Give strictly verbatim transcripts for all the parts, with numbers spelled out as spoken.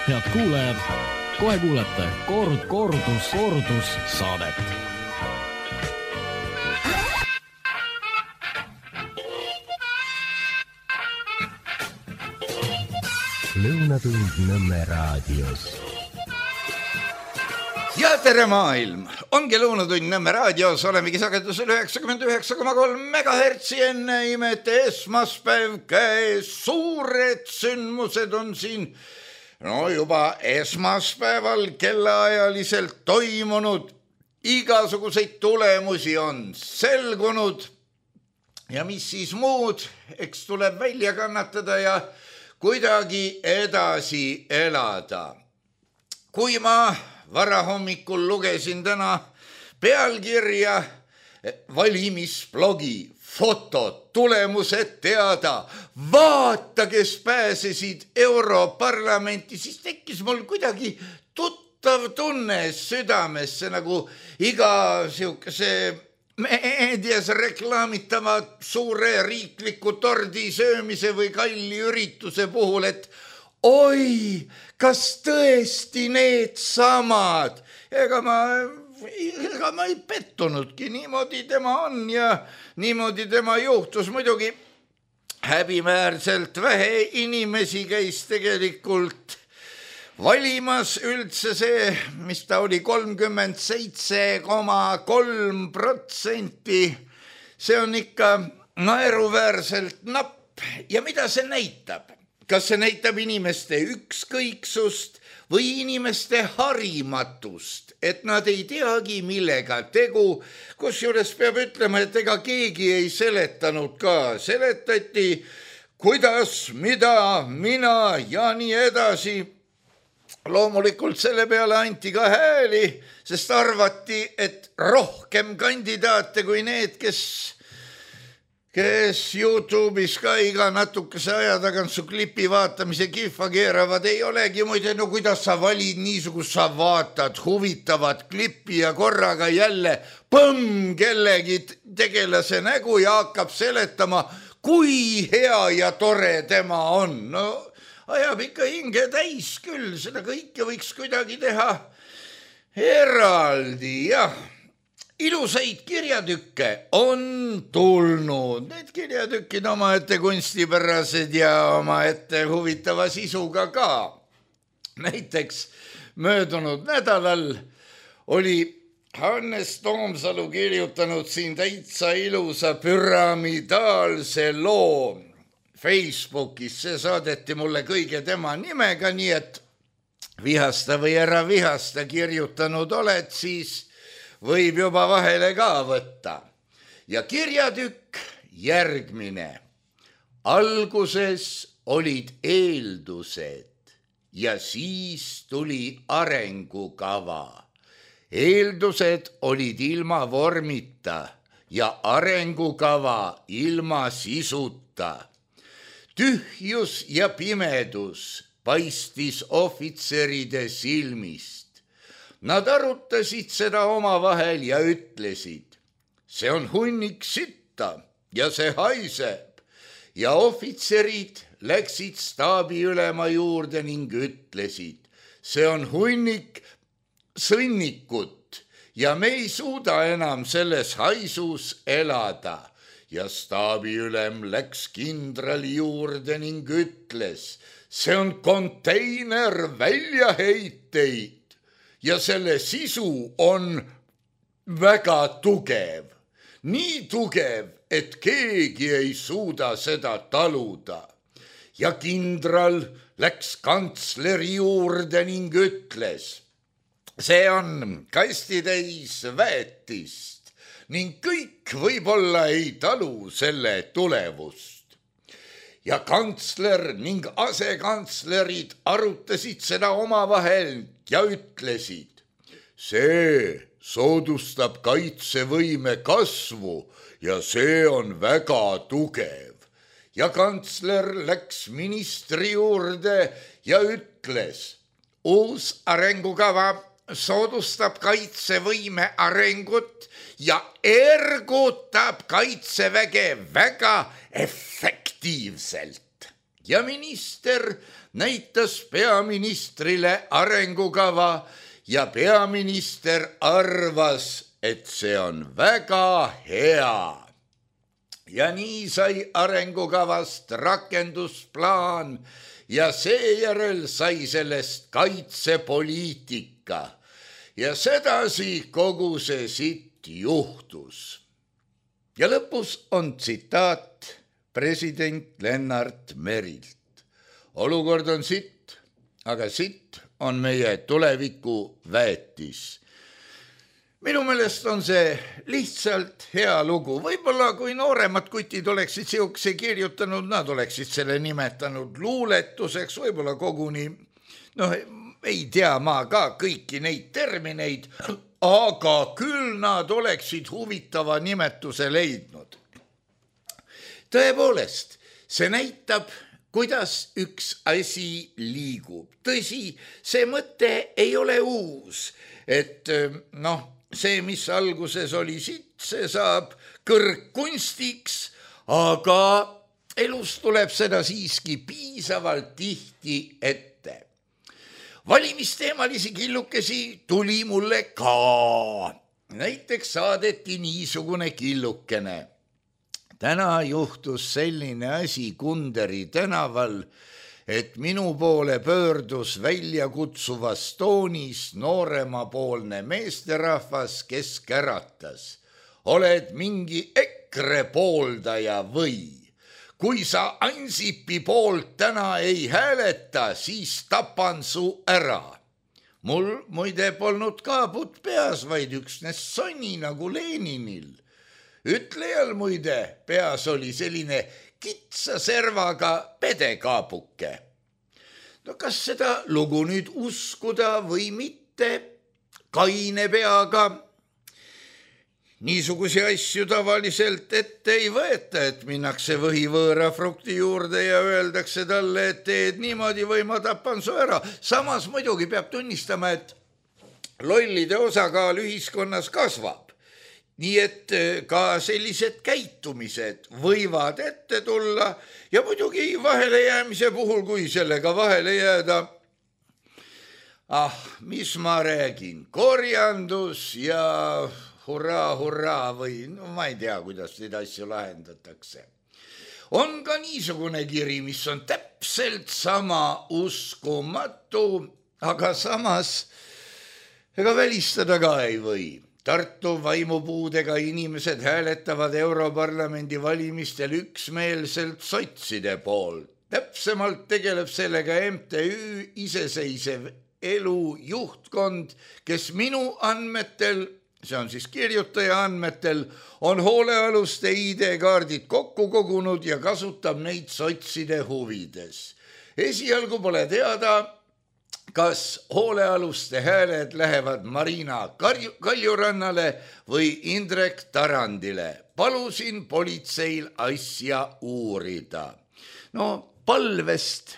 Head kuulajad, kohe kuulete kord, kordus, kordus saadet. Lõunatund Nõmme raadios. Ja tere maailm! Ongi Lõunatund Nõmme raadios, olemegi sagedusel üheksakümmend üheksa koma kolm megahertsi enne imete esmaspäev käes. Suured sündmused on siin no juba esmaspäeval kellaajaliselt toimunud. Igasuguseid tulemusi on selgunud ja mis siis muud, eks tuleb välja kannatada ja kuidagi edasi elada. Kui ma varahommikul lugesin täna pealkirja valimisblogi fotod, tulemused teada, vaata, kes pääsesid Europarlamenti, siis tekkis mul kuidagi tuttav tunne südamesse, nagu iga siukese meedias reklaamitava suure riikliku tordi söömise või kalli ürituse puhul, et oi, kas tõesti need samad? Ega ma, ega ma ei pettunudki, niimoodi tema on ja niimoodi tema juhtus. Muidugi häbiväärselt vähe inimesi käis tegelikult valimas, üldse see, mis ta oli, kolmkümmend seitse koma kolm protsenti. See on ikka naeruväärselt napp. Ja mida see näitab? Kas see näitab inimeste ükskõiksust või inimeste harimatust, et nad ei teagi, millega tegu, kusjuures peab ütlema, et ega keegi ei seletanud ka. Seletati, kuidas, mida, mina ja nii edasi. Loomulikult selle peale anti ka hääli, sest arvati, et rohkem kandidaate kui need, kes, kes YouTube'is ka iga natukese aja tagant su klipi vaatamise kihva keeravad, ei olegi muide, no kuidas sa valid niisugust, sa vaatad huvitavat klippi ja korraga jälle põmm kellegi tegelase nägu ja hakkab seletama, kui hea ja tore tema on. No ajab ikka hinge täis küll, seda kõike võiks kuidagi teha eraldi, jah. Ilusaid kirjatükke on tulnud, need kirjatükid oma ette kunstipärased ja oma ette huvitava sisuga ka. Näiteks möödunud nädalal oli Hannes Toomsalu kirjutanud siin täitsa ilusa püramidaalse loo Facebookis. See saadeti mulle kõige tema nimega, nii et vihasta või ära vihasta kirjutanud oled, siis võib juba vahele ka võtta. Ja kirjatükk järgmine. Alguses olid eeldused ja siis tuli arengukava. Eeldused olid ilma vormita ja arengukava ilma sisuta. Tühjus ja pimedus paistis ohvitseride silmist. Nad arutasid seda omavahel ja ütlesid, see on hunnik sitta ja see haiseb. Ja ohvitserid läksid staabiülema juurde ning ütlesid, see on hunnik sõnnikut ja me ei suuda enam selles haisus elada. Ja staabiülem läks kindrali juurde ning ütles, see on konteiner väljaheiteid. Ja selle sisu on väga tugev. Nii tugev, et keegi ei suuda seda taluda. Ja kindral läks kantsleri juurde ning ütles, see on kastitäis väetist ning kõik võib-olla ei talu selle tulevust. Ja kantsler ning asekantslerid arutasid seda omavahel ja ütlesid, see soodustab kaitsevõime kasvu ja see on väga tugev. Ja kantsler läks ministri juurde ja ütles, uus arengukava soodustab kaitsevõime arengut ja ergutab kaitseväge väga efektiivselt. ja minister näitas peaministrile arengukava ja peaminister arvas, et see on väga hea. Ja nii sai arengukavast rakendusplaan ja seejärel sai sellest kaitsepoliitika. Ja sedasi kogu see sitt juhtus. Ja lõpus on tsitaat president Lennart Merilt. Olukord on sitt, aga sitt on meie tuleviku väetis. Minu meelest on see lihtsalt hea lugu. Võib-olla kui nooremad kutid oleksid siukse kirjutanud, nad oleksid selle nimetanud luuletuseks, võib-olla koguni, noh, ei tea ma ka kõiki neid termineid, aga küll nad oleksid huvitava nimetuse leidnud. Tõepoolest, see näitab, kuidas üks asi liigub. Tõsi, see mõte ei ole uus, et noh, see, mis alguses oli sitt, see saab kõrgkunstiks, aga elus tuleb seda siiski piisavalt tihti ette. Valimisteemalisi killukesi tuli mulle ka. Näiteks saadeti niisugune killukene. Täna juhtus selline asi Kunderi tänaval, et minu poole pöördus välja kutsuvas toonis nooremapoolne meesterahvas, kes käratas. Oled mingi EKRE pooldaja või? Kui sa Ansipi poolt täna ei hääleta, siis tapan su ära. Mul muide polnud kaabut peas, vaid üksnes sonni nagu Leninil. Ütlejal muide peas oli selline kitsa servaga pedekaapuke. No kas seda lugu nüüd uskuda või mitte? Kaine peaga. Niisugusi asju tavaliselt ette ei võeta, et minnakse võhivõõra frukti juurde ja öeldakse talle, et teed niimoodi või ma tapan su ära. Samas muidugi peab tunnistama, et lollide osakaal ühiskonnas kasvab. Nii et ka sellised käitumised võivad ette tulla ja muidugi vahele jäämise puhul, kui sellega vahele jääda. Ah, mis ma räägin, korjandus ja hurraa, hurraa või no, ma ei tea, kuidas neid asju lahendatakse. On ka niisugune kiri, mis on täpselt sama uskumatu, aga samas ega välistada ka ei või. Tartu vaimupuudega inimesed hääletavad Europarlamendi valimistel üksmeelselt sotside poolt. Täpsemalt tegeleb sellega M T Ü iseseisev elu juhtkond, kes minu andmetel, see on siis kirjutaja andmetel, on hoolealuste I D-kaardid kokku kogunud ja kasutab neid sotside huvides. Esialgu pole teada, kas hoolealuste hääled lähevad Marina Kaljurannale või Indrek Tarandile. Palusin politseil asja uurida. No palvest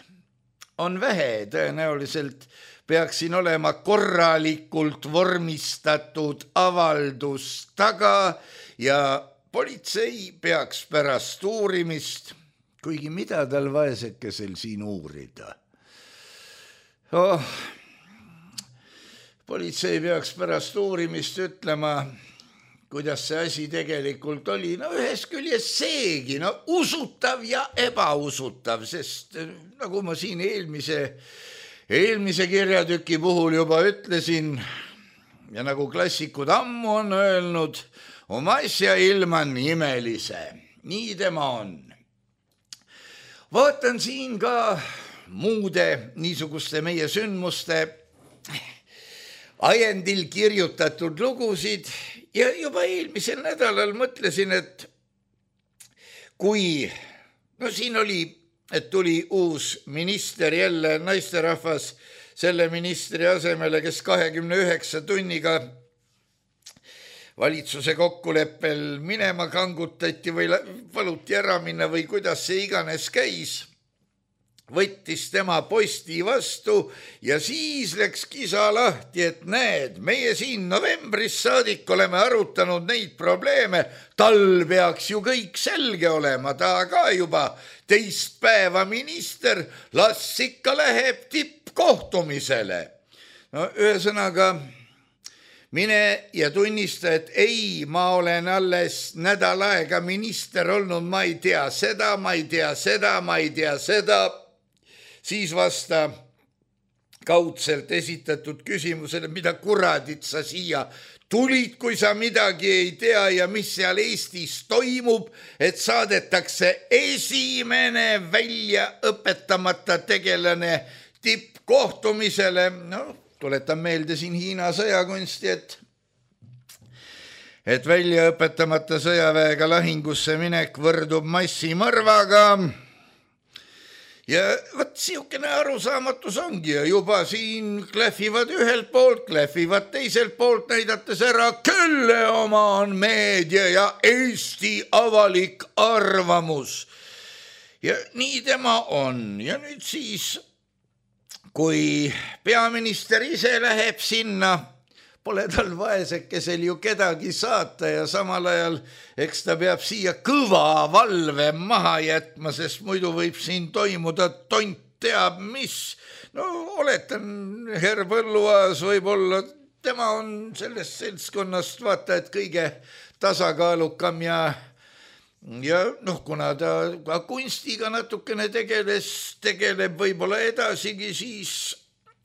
on vähe, tõenäoliselt peaksin olema korralikult vormistatud avaldus taga ja politsei peaks pärast uurimist, kuigi mida tal vaesekesel siin uurida. Oh, politsei peaks pärast uurimist ütlema, kuidas see asi tegelikult oli. No ühes küljes seegi, no usutav ja ebausutav, sest nagu ma siin eelmise, eelmise kirjatüki puhul juba ütlesin ja nagu klassikud ammu on öelnud, oma asja ilman imelise. Nii tema on. Vaatan siin ka muude niisuguste meie sündmuste ajendil kirjutatud lugusid ja juba eelmisel nädalal mõtlesin, et kui, no siin oli, et tuli uus minister jälle naisterahvas selle ministri asemele, kes kahekümne üheksa tunniga valitsuse kokkuleppel minema kangutati või paluti ära minna või kuidas see iganes käis. võttis tema posti vastu ja siis läks kisa lahti, et näed, meie siin novembris saadik oleme arutanud neid probleeme, tal peaks ju kõik selge olema, ta ka juba teist päeva minister, las ikka läheb tippkohtumisele. No ühesõnaga, mine ja tunnista, et ei, ma olen alles nädal aega minister olnud, ma ei tea seda, ma ei tea seda, ma ei tea seda. Siis vasta kaudselt esitatud küsimusele, mida kuradit sa siia tulid, kui sa midagi ei tea ja mis seal Eestis toimub, et saadetakse esimene välja õpetamata tegelane tippkohtumisele. No, tuletan meelde siin Hiina sõjakunsti, et, et välja õpetamata sõjaväega lahingusse minek võrdub massimõrvaga. Ja võt siukene arusaamatus ongi ja juba siin klähvivad ühelt poolt, klähvivad teiselt poolt, näidates ära, kelle oma on meedia ja Eesti avalik arvamus. Ja nii tema on. Ja nüüd siis, kui peaminister ise läheb sinna, pole tal vaesekesel ju kedagi saata ja samal ajal eks ta peab siia kõva valve maha jätma, sest muidu võib siin toimuda tont teab mis. No oletan, Herr Põlluaas võib olla, tema on sellest seltskonnast vaata, et kõige tasakaalukam ja ja noh, kuna ta ka kunstiga natukene tegeles, tegeleb võib-olla edasigi, siis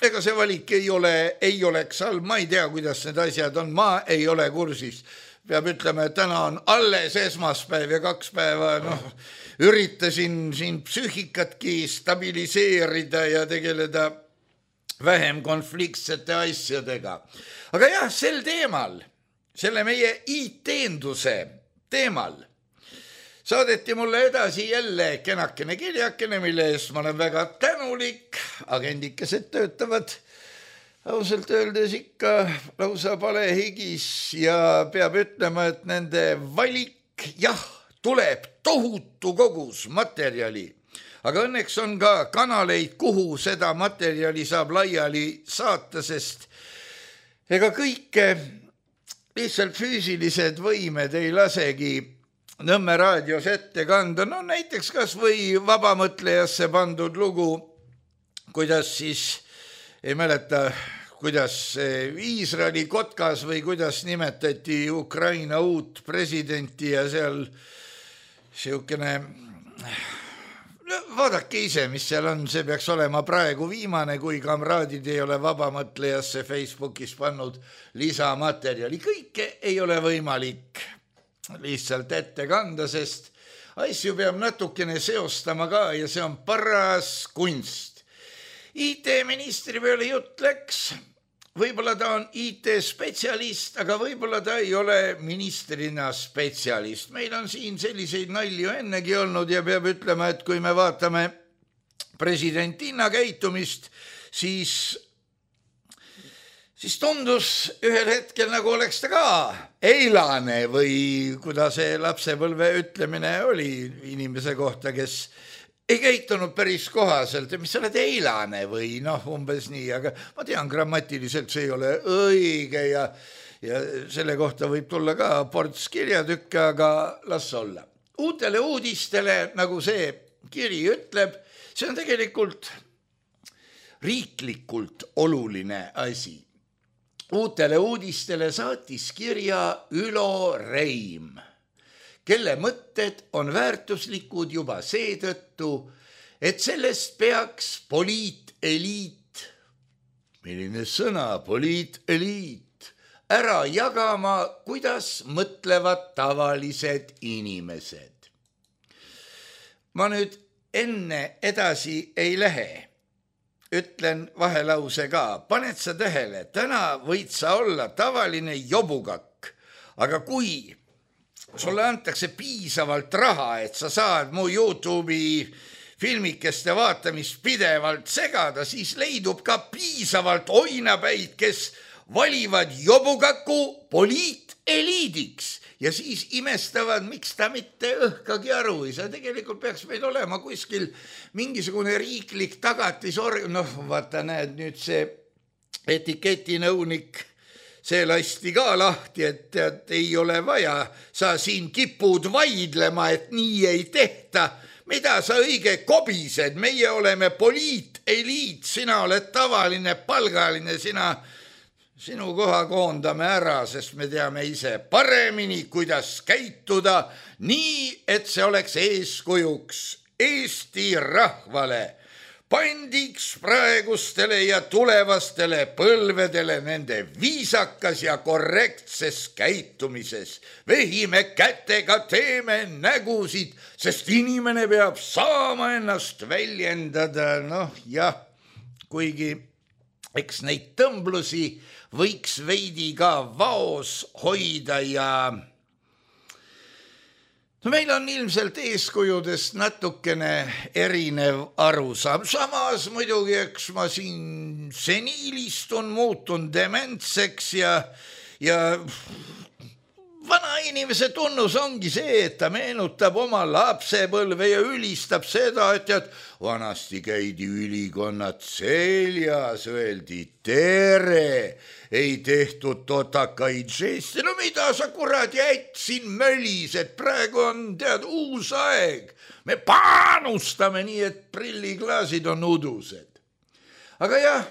ega see valik ei ole, ei oleks halb, ma ei tea, kuidas need asjad on, ma ei ole kursis. Peab ütlema, et täna on alles esmaspäev ja kaks päeva, noh, üritasin siin psüühikatki stabiliseerida ja tegeleda vähem konfliktsete asjadega. Aga jah, sel teemal, selle meie I-teenduse teemal, saadeti mulle edasi jälle kenakene kirjakene, mille eest ma olen väga tänulik. Agendikesed töötavad ausalt öeldes ikka lausa palehigis ja peab ütlema, et nende valik, jah, tuleb tohutu kogus materjali. Aga õnneks on ka kanaleid, kuhu seda materjali saab laiali saata, sest ega kõike lihtsalt füüsilised võimed ei lasegi Nõmme raadios ette kanda, no näiteks kas või vabamõtlejasse pandud lugu, kuidas siis, ei mäleta, kuidas Iisraeli kotkas või kuidas nimetati Ukraina uut presidenti ja seal siukene, no, vaadake ise, mis seal on, see peaks olema praegu viimane, kui kamraadid ei ole vabamõtlejasse Facebookis pannud lisamaterjali, kõike ei ole võimalik lihtsalt ette kanda, sest asju peab natukene seostama ka ja see on paras kunst. I T-ministri peale jutt läks, võib-olla ta on I T-spetsialist, aga võib-olla ta ei ole ministrina spetsialist. Meil on siin selliseid nalju ennegi olnud ja peab ütlema, et kui me vaatame presidentina käitumist, siis siis tundus ühel hetkel nagu oleks ta ka eilane või kuidas see lapsepõlve ütlemine oli inimese kohta, kes ei käitunud päris kohaselt, mis sa oled eilane või noh, umbes nii, aga ma tean, grammatiliselt see ei ole õige ja, ja selle kohta võib tulla ka ports kirjatükke, aga las olla. Uutele uudistele, nagu see kiri ütleb, see on tegelikult riiklikult oluline asi. Uutele uudistele saatis kirja Ülo Reim, kelle mõtted on väärtuslikud juba seetõttu, et sellest peaks poliiteliit, milline sõna, poliiteliit, ära jagama, kuidas mõtlevad tavalised inimesed. Ma nüüd enne edasi ei lähe. Ütlen vahelause ka, paned sa tähele, täna võid sa olla tavaline jobugakk, aga kui sulle antakse piisavalt raha, et sa saad mu YouTube'i filmikeste vaatamist pidevalt segada, siis leidub ka piisavalt oinapäid, kes valivad jobukaku poliiteliidiks ja siis imestavad, miks ta mitte õhkagi aru ei saa. Tegelikult peaks meil olema kuskil mingisugune riiklik tagatisorg, noh vaata näed nüüd see etiketinõunik, see lasti ka lahti, et tead, ei ole vaja, sa siin kipud vaidlema, et nii ei tehta. Mida sa õige kobised, meie oleme poliiteliit, sina oled tavaline palgaline, sina, sinu koha koondame ära, sest me teame ise paremini, kuidas käituda, nii, et see oleks eeskujuks Eesti rahvale, pandiks praegustele ja tulevastele põlvedele nende viisakas ja korrektses käitumises. Vehime kätega, teeme nägusid, sest inimene peab saama ennast väljendada. Noh jah, kuigi eks neid tõmblusi võiks veidi ka vaos hoida ja no meil on ilmselt eeskujudest natukene erinev arusaam. Samas muidugi, eks ma siin seniilistun, muutun dementseks ja, ja vana inimese tunnus ongi see, et ta meenutab oma lapsepõlve ja ülistab seda, et tead, vanasti käidi ülikonnad seljas, öeldi tere, ei tehtud totakaid žeste. No mida sa kurat jäid siin mölised, praegu on tead uus aeg. Me panustame nii, et prilliklaasid on udused. Aga jah,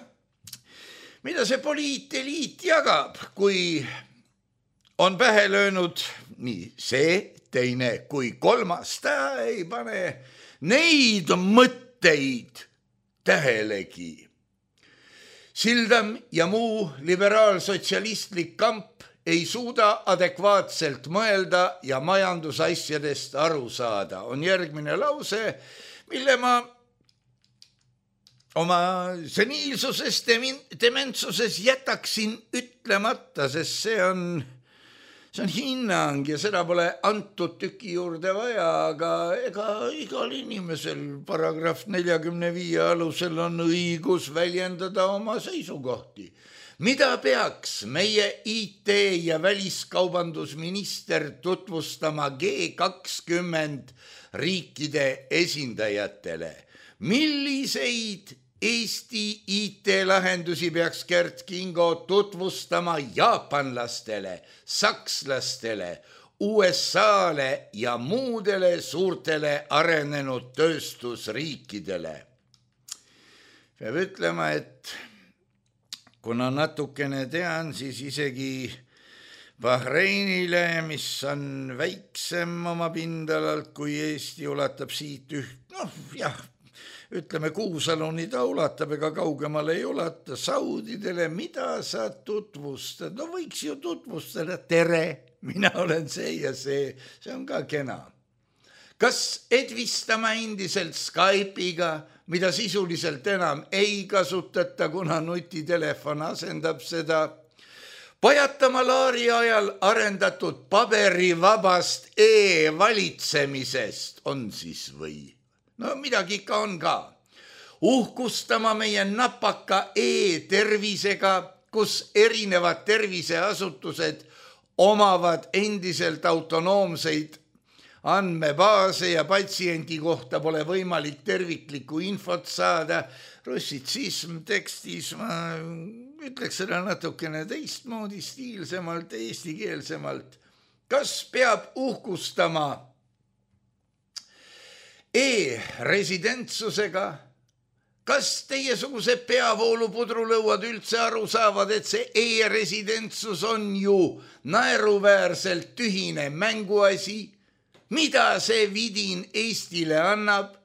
mida see poliiteliit jagab, kui on pähe löönud nii see, teine kui kolmas, ta ei pane neid mõtteid tähelegi. Sildam ja muu liberaalsotsialistlik kamp ei suuda adekvaatselt mõelda ja majandusasjadest aru saada. On järgmine lause, mille ma oma seniilsuses, dementsuses jätaksin ütlemata, sest see on See on hinnang ja seda pole antud tüki juurde vaja, aga ega igal inimesel paragrahv neljakümne viie alusel on õigus väljendada oma seisukohti. Mida peaks meie I T ja väliskaubandusminister tutvustama G kakskümmend riikide esindajatele? Milliseid Eesti I T-lahendusi peaks Gert Kingo tutvustama jaapanlastele, sakslastele, U S A-le ja muudele suurtele arenenud tööstusriikidele? Peab ütlema, et kuna natukene tean, siis isegi Bahreinile, mis on väiksem oma pindalalt kui Eesti, ulatab siit üht, noh jah, ütleme Kuusaluni ta ulatab, ega kaugemale ei ulata. Saudidele, mida sa tutvustad? No võiks ju tutvustada, tere, mina olen see ja see, see on ka kena. Kas edvistama endiselt Skype'iga, mida sisuliselt enam ei kasutata, kuna nutitelefon asendab seda? Pajatama Laari ajal arendatud paberivabast e-valitsemisest on siis või? No midagi ikka on ka. Uhkustama meie napaka e-tervisega, kus erinevad terviseasutused omavad endiselt autonoomseid andmebaase ja patsiendi kohta pole võimalik terviklikku infot saada. Russitsism tekstis, ma ütleks seda natukene teistmoodi, stiilsemalt, eestikeelsemalt. Kas peab uhkustama e-residentsusega? Kas teiesuguse peavoolupudrulõuad üldse aru saavad, et see e-residentsus on ju naeruväärselt tühine mänguasi? Mida see vidin Eestile annab?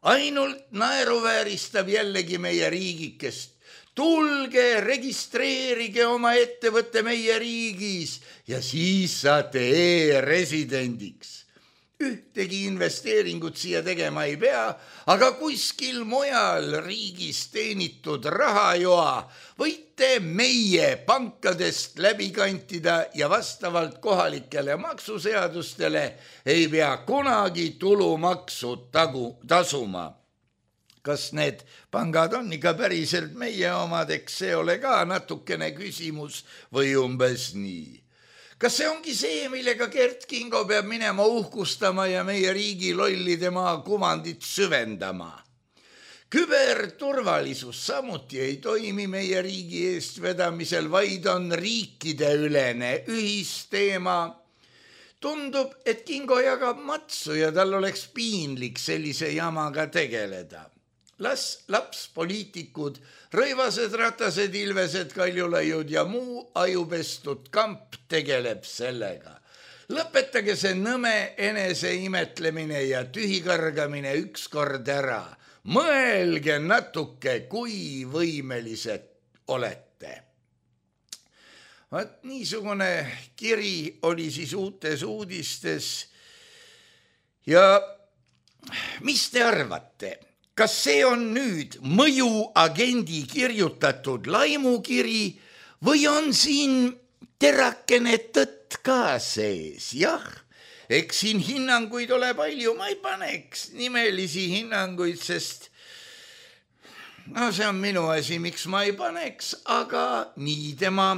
Ainult naeruvääristab jällegi meie riigikest. Tulge, registreerige oma ettevõtte meie riigis ja siis saate e-residendiks. Ühtegi investeeringut siia tegema ei pea, aga kuskil mujal riigis teenitud rahajoa võite meie pankadest läbi kantida ja vastavalt kohalikele maksuseadustele ei pea kunagi tulumaksu tagu, tasuma. kas need pangad on ikka päriselt meie omad, eks see ole ka natukene küsimus või umbes nii. Kas see ongi see, millega Gert Kingo peab minema uhkustama ja meie riigi lolli tema kuvandit süvendama? Küberturvalisus samuti ei toimi meie riigi eestvedamisel, vaid on riikideülene ühisteema. Tundub, et Kingo jagab matsu ja tal oleks piinlik sellise jamaga tegeleda. Las laps poliitikud, Rõivased, Ratased, Ilvesed, Kaljulaiud ja muu ajupestud kamp tegeleb sellega. Lõpetage see nõme enese imetlemine ja tühikargamine ükskord ära. Mõelge natuke, kui võimelised olete. Vaat niisugune kiri oli siis uutes uudistes. Ja mis te arvate? Kas see on nüüd mõjuagendi kirjutatud laimukiri või on siin terakene tõtt ka sees? Jah, eks siin hinnanguid ole palju, ma ei paneks nimelisi hinnanguid, sest no see on minu asi, miks ma ei paneks, aga nii tema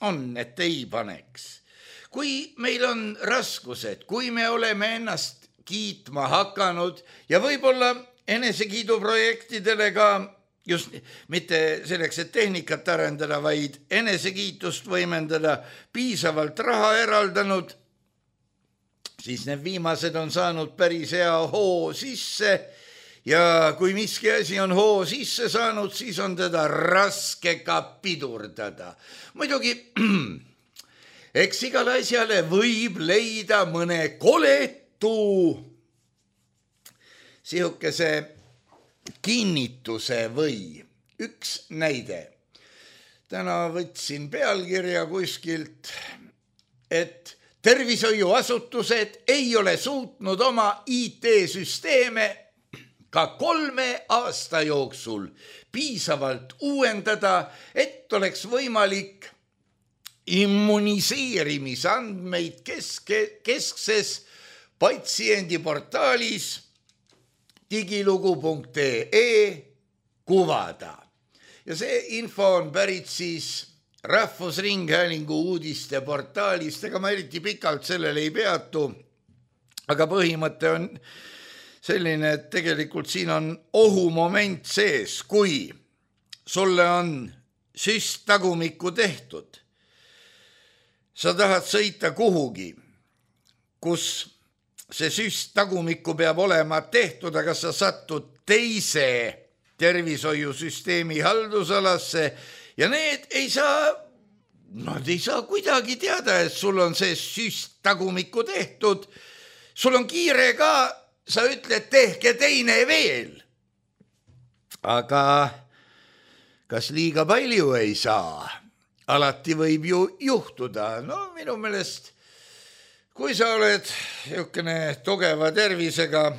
on, et ei paneks. Kui meil on raskused, kui me oleme ennast kiitma hakanud ja võib-olla enesekiiduprojektidele ka just mitte selleks, et tehnikat arendada, vaid enesekiitust võimendada piisavalt raha eraldanud, siis need viimased on saanud päris hea hoo sisse ja kui miski asi on hoo sisse saanud, siis on teda raske ka pidurdada. Muidugi, eks igale asjale võib leida mõne koletu sihukese kinnituse või. Üks näide. Täna võtsin pealkirja kuskilt, et tervishoiuasutused ei ole suutnud oma I T-süsteeme ka kolme aasta jooksul piisavalt uuendada, et oleks võimalik immuniseerimisandmeid keske, keskses patsiendiportaalis digilugu punkt ee kuvada. Ja see info on pärit siis Rahvusringhäälingu uudiste portaalist, ega ma eriti pikalt sellele ei peatu, aga põhimõte on selline, et tegelikult siin on ohumoment sees, kui sulle on süst tagumikku tehtud. Sa tahad sõita kuhugi, kus see süst tagumikku peab olema tehtud, aga sa satud teise tervishoiusüsteemi haldusalasse ja need ei saa, nad ei saa kuidagi teada, et sul on see süst tagumikku tehtud. Sul on kiire ka, sa ütled, tehke teine veel. Aga kas liiga palju ei saa? Alati võib ju juhtuda. No minu meelest kui sa oled jõukene tugeva tervisega,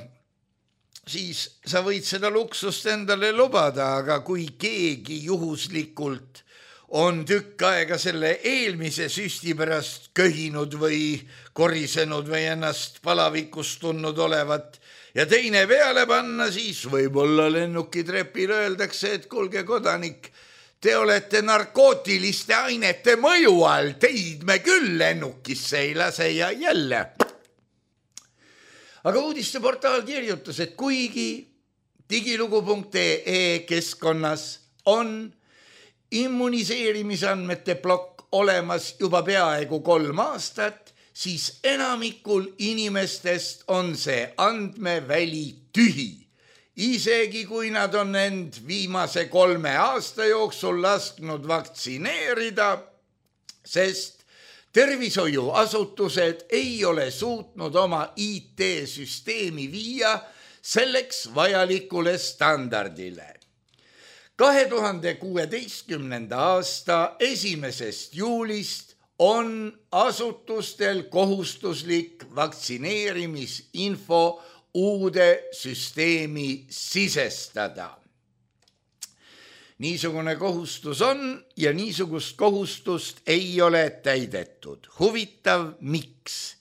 siis sa võid seda luksust endale lubada, aga kui keegi juhuslikult on tükk aega selle eelmise süsti pärast köhinud või korisenud või ennast palavikust tundnud olevat ja teine peale panna, siis võib-olla lennukitrepil öeldakse, et kuulge kodanik, te olete narkootiliste ainete mõju all, teid me küll lennukisse ei lase ja jälle. Aga uudisteportaal kirjutas, et kuigi digilugu punkt ee keskkonnas on immuniseerimisandmete plokk olemas juba peaaegu kolm aastat, siis enamikul inimestest on see andmeväli tühi. Isegi kui nad on end viimase kolme aasta jooksul lasknud vaktsineerida, sest tervishoiuasutused ei ole suutnud oma I T-süsteemi viia selleks vajalikule standardile. kahe tuhande kuueteistkümnenda aasta esimesest juulist on asutustel kohustuslik vaktsineerimisinfo uude süsteemi sisestada. Niisugune kohustus on ja niisugust kohustust ei ole täidetud. Huvitav, miks?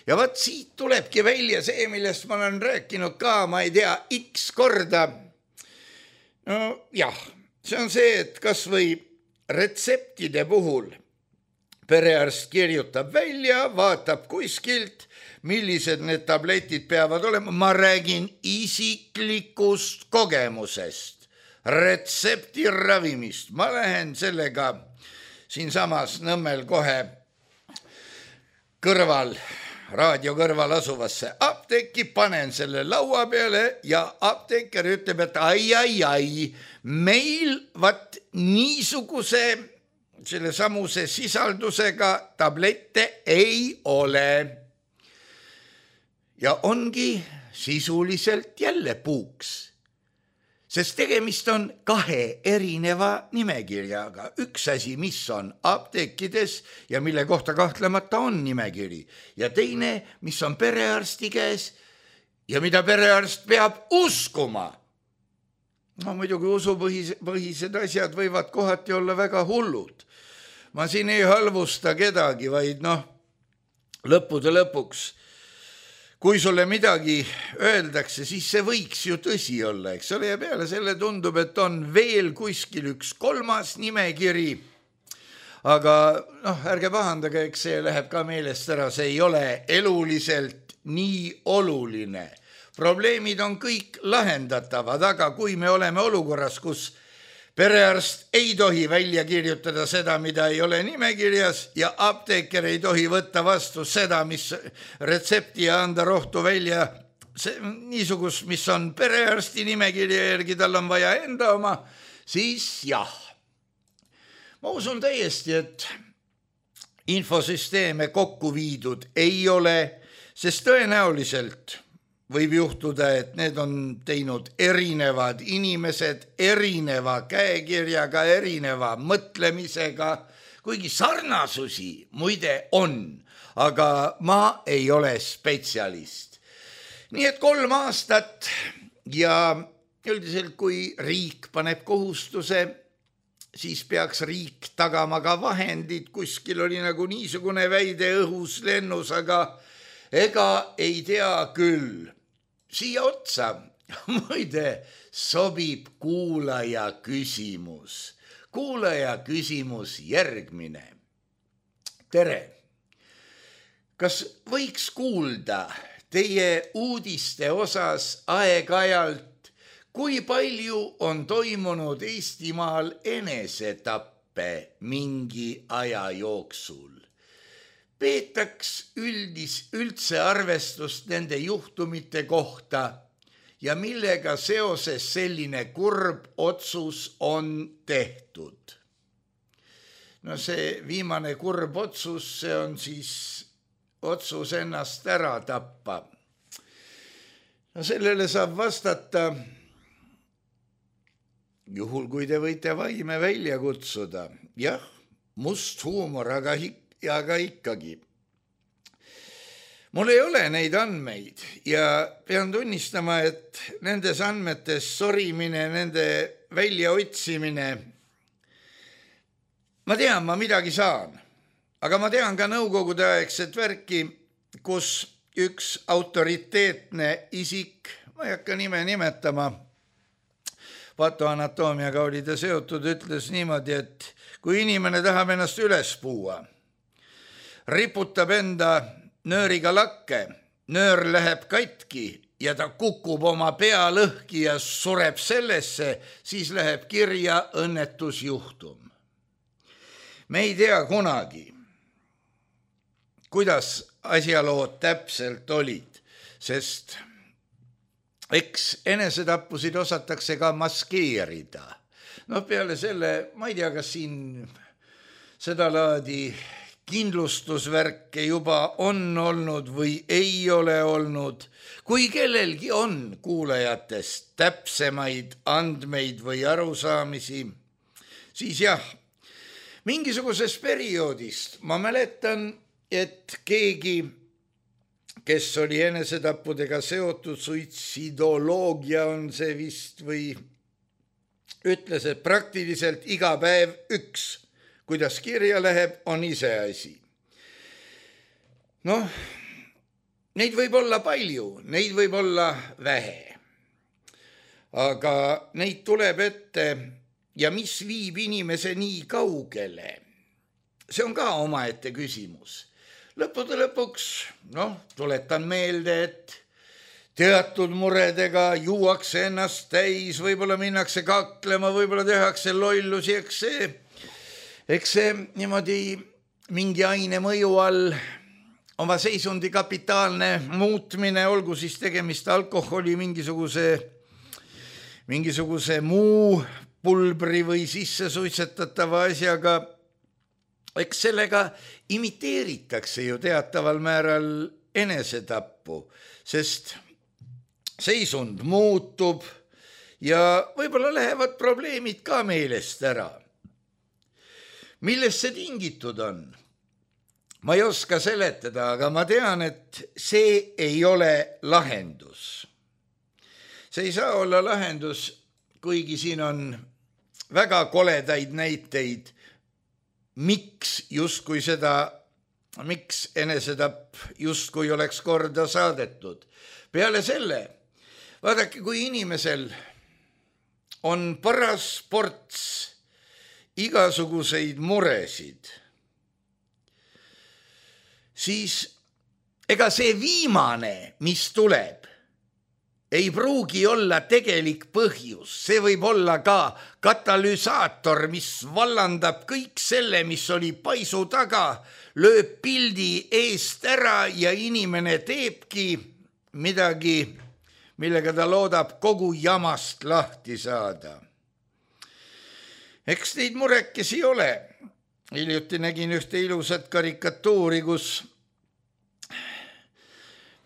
Ja vaat siit tulebki välja see, millest ma olen rääkinud ka, ma ei tea, X korda. no jah, see on see, et kas või retseptide puhul perearst kirjutab välja, vaatab kuskilt, millised need tabletid peavad olema. Ma räägin isiklikust kogemusest, retsepti ravimist. Ma lähen sellega siinsamas Nõmmel kohe kõrval, raadio kõrval asuvasse apteeki, panen selle laua peale ja apteeker ütleb, et ai, ai, ai, meil vat niisuguse selle samuse sisaldusega tablette ei ole. Ja ongi sisuliselt jälle puuks, sest tegemist on kahe erineva nimekirjaga. Üks asi, mis on apteekides ja mille kohta kahtlemata on nimekiri, ja teine, mis on perearsti käes ja mida perearst peab uskuma. No muidugi usupõhised asjad võivad kohati olla väga hullud. Ma siin ei halvusta kedagi, vaid noh, lõppude lõpuks, kui sulle midagi öeldakse, siis see võiks ju tõsi olla, eks ole, ja peale selle tundub, et on veel kuskil üks kolmas nimekiri. Aga noh, ärge pahandage, eks see läheb ka meelest ära, see ei ole eluliselt nii oluline. Probleemid on kõik lahendatavad, aga kui me oleme olukorras, kus perearst ei tohi välja kirjutada seda, mida ei ole nimekirjas, ja apteeker ei tohi võtta vastu seda, mis retsepti ja anda rohtu välja see, niisugus, mis on perearsti nimekirja järgi, tal on vaja enda oma, siis jah. Ma usun täiesti, et infosüsteeme kokku viidud ei ole, sest tõenäoliselt võib juhtuda, et need on teinud erinevad inimesed erineva käekirjaga, erineva mõtlemisega, kuigi sarnasusi muide on, aga ma ei ole spetsialist. Nii et kolm aastat ja üldiselt kui riik paneb kohustuse, siis peaks riik tagama ka vahendid, kuskil oli nagu niisugune väide õhus lennus, aga ega ei tea küll. Siia otsa muide sobib kuulaja küsimus. Kuulaja küsimus järgmine. Tere, kas võiks kuulda teie uudiste osas aeg-ajalt, kui palju on toimunud Eestimaal enesetappe mingi aja jooksul? Peetaks üldis, üldse arvestust nende juhtumite kohta ja millega seoses selline kurb otsus on tehtud. No see viimane kurb otsus, see on siis otsus ennast ära tappa. No sellele saab vastata, juhul kui te võite vaime välja kutsuda. Jah, must huumor, aga ikka. Ja aga ikkagi. Mul ei ole neid andmeid ja pean tunnistama, et nendes andmetes sorimine, nende väljaotsimine, ma tean, ma midagi saan, aga ma tean ka nõukogude aegset värki, kus üks autoriteetne isik, ma ei hakka nime nimetama, patoanatoomiaga oli ta seotud, ütles niimoodi, et kui inimene tahab ennast üles puua, riputab enda nööriga lakke, nöör läheb katki ja ta kukub oma pea lõhki ja sureb sellesse, siis läheb kirja õnnetusjuhtum. Me ei tea kunagi, kuidas asjalood täpselt olid, sest eks enesetappusid osatakse ka maskeerida. No peale selle, ma ei tea, kas siin seda laadi kindlustusvärke juba on olnud või ei ole olnud. Kui kellelgi on kuulajatest täpsemaid andmeid või arusaamisi, siis jah, mingisugusest perioodist ma mäletan, et keegi, kes oli enesetappudega seotud, suitsidoloogia on see vist, või ütles, et praktiliselt iga päev üks, kuidas kirja läheb, on iseasi. Noh, neid võib olla palju, neid võib olla vähe. aga neid tuleb ette ja mis viib inimese nii kaugele, see on ka omaette küsimus. Lõppude lõpuks, noh, tuletan meelde, et teatud muredega juuakse ennast täis, võib-olla minnakse kaklema, võib-olla tehakse lollusi, eks see, eks see niimoodi mingi aine mõju all oma seisundi kapitaalne muutmine, olgu siis tegemist alkoholi, mingisuguse, mingisuguse muu pulbri või sisse suitsetatava asjaga, eks sellega imiteeritakse ju teataval määral enesetappu, sest seisund muutub ja võib-olla lähevad probleemid ka meelest ära. Millest see tingitud on? Ma ei oska seletada, aga ma tean, et see ei ole lahendus. See ei saa olla lahendus, kuigi siin on väga koledaid näiteid, miks justkui seda, miks enesetapp justkui oleks korda saadetud. Peale selle, vaadake, kui inimesel on paras ports igasuguseid muresid, siis ega see viimane, mis tuleb, ei pruugi olla tegelik põhjus. See võib olla ka katalüsaator, mis vallandab kõik selle, mis oli paisu taga, lööb pildi eest ära ja inimene teebki midagi, millega ta loodab kogu jamast lahti saada. Eks neid murekesi ole. Hiljuti nägin ühte ilusat karikatuuri, kus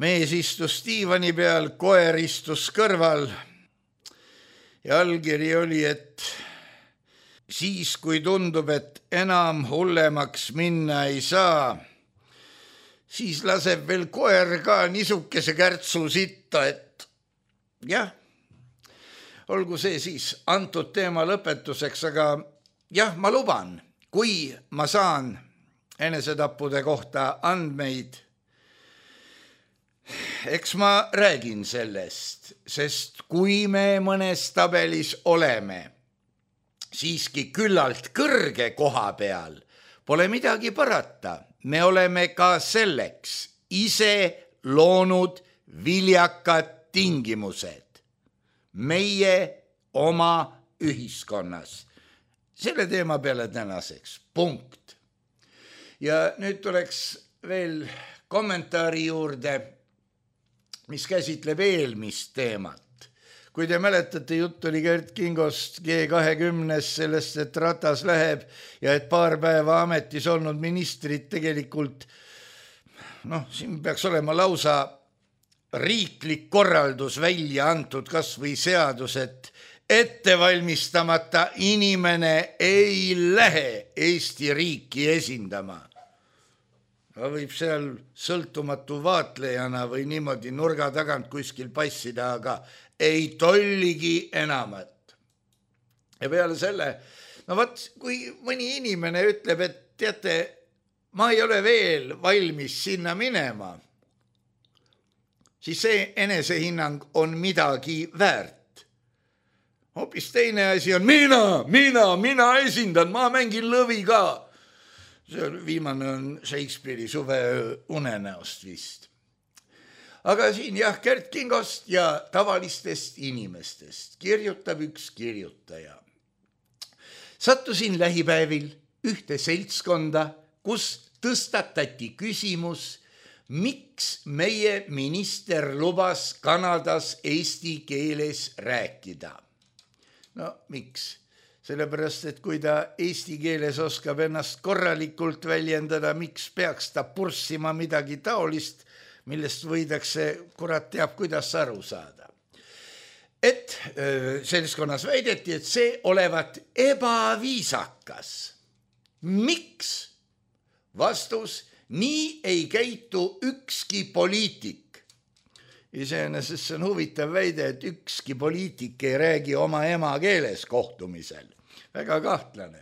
mees istus diivani peal, koer istus kõrval ja allkiri oli, et siis, kui tundub, et enam hullemaks minna ei saa, siis laseb veel koer ka nisukese kärtsu sitta, et jah, olgu see siis antud teema lõpetuseks, aga jah, ma luban, kui ma saan enesetappude kohta andmeid, eks ma räägin sellest, sest kui me mõnes tabelis oleme siiski küllalt kõrge koha peal, pole midagi parata. Me oleme ka selleks ise loonud viljakad tingimused meie oma ühiskonnas. Selle teema peale tänaseks, punkt. Ja nüüd tuleks veel kommentaari juurde, mis käsitleb eelmist teemat. Kui te mäletate, jutt oli Gert Kingost G kahekümnes sellest, et Ratas läheb ja et paar päeva ametis olnud ministrid tegelikult, noh, siin peaks olema lausa riiklik korraldus välja antud, kas või seadus, et ettevalmistamata inimene ei lähe Eesti riiki esindama. Ta võib seal sõltumatu vaatlejana või niimoodi nurga tagant kuskil passida, aga ei tolligi enamat. Ja peale selle, no vaat, kui mõni inimene ütleb, et teate, ma ei ole veel valmis sinna minema, siis see enesehinnang on midagi väärt. Hoopis teine asi on mina, mina, mina esindan, ma mängin lõvi ka. See viimane on Shakespeare'i suve unenäost vist. Aga siin jah, Gert Kingost ja tavalistest inimestest kirjutab üks kirjutaja. Sattusin lähipäevil ühte seltskonda, kus tõstatati küsimus, miks meie minister lubas Kanadas eesti keeles rääkida. No miks? Sellepärast, et kui ta eesti keeles oskab ennast korralikult väljendada, miks peaks ta purssima midagi taolist, millest võidakse, kurat teab, kuidas aru saada. Et seltskonnas väideti, et see olevat ebaviisakas. Miks? Vastus, nii ei käitu ükski poliitik. Iseenesest see on huvitav väide, et ükski poliitik ei räägi oma emakeeles kohtumisel. Väga kahtlane.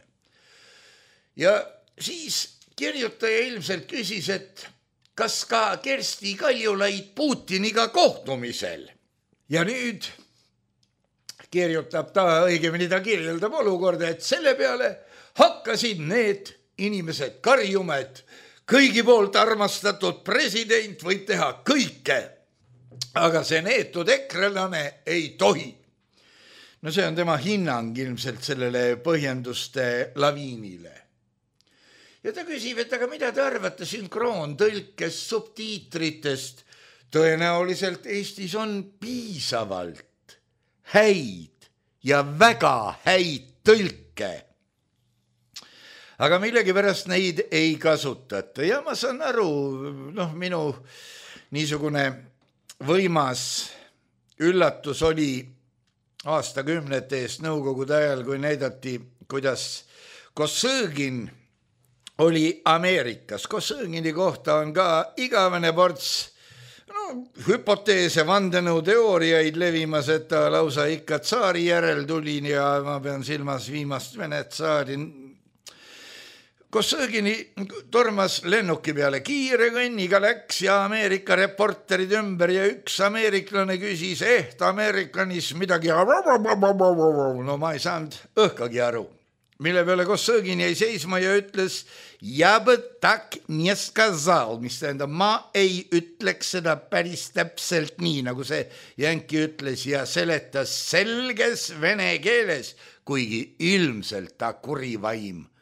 Ja siis kirjutaja ilmselt küsis, et kas ka Kersti Kaljulaid Putiniga kohtumisel. Ja nüüd kirjutab ta, õigemini ta kirjeldab olukorda, et selle peale hakkasid need inimesed karjuma, et kõigi poolt armastatud president võib teha kõike, aga see neetud ekrelane ei tohi. No see on tema hinnang ilmselt sellele põhjenduste laviinile. Ja ta küsib, et aga mida te arvate sünkroontõlkes subtiitritest? Tõenäoliselt Eestis on piisavalt häid ja väga häid tõlke. Aga millegipärast neid ei kasutata. Ja ma saan aru, noh, minu niisugune võimas üllatus oli aastakümnete eest nõukogude ajal, kui näidati, kuidas Kosõgin oli Ameerikas. Kosõgini kohta on ka igavene ports no, hüpoteese, vandenõuteooriaid levimas, et ta lausa ikka tsaari järel tuli ja ma pean silmas viimast Vene tsaari. Kosõgini tormas lennuki peale kiire kõnniga läks ja Ameerika reporterid ümber ja üks ameeriklane küsis eht Ameerikanis midagi. No ma ei saanud õhkagi aru. Mille peale Kosõgin jäi seisma ja ütles ja tak nie skazal, mis tähendab, ma ei ütleks seda päris täpselt nii, nagu see jänki ütles ja seletas selges vene keeles, kuigi ilmselt ta kurivaim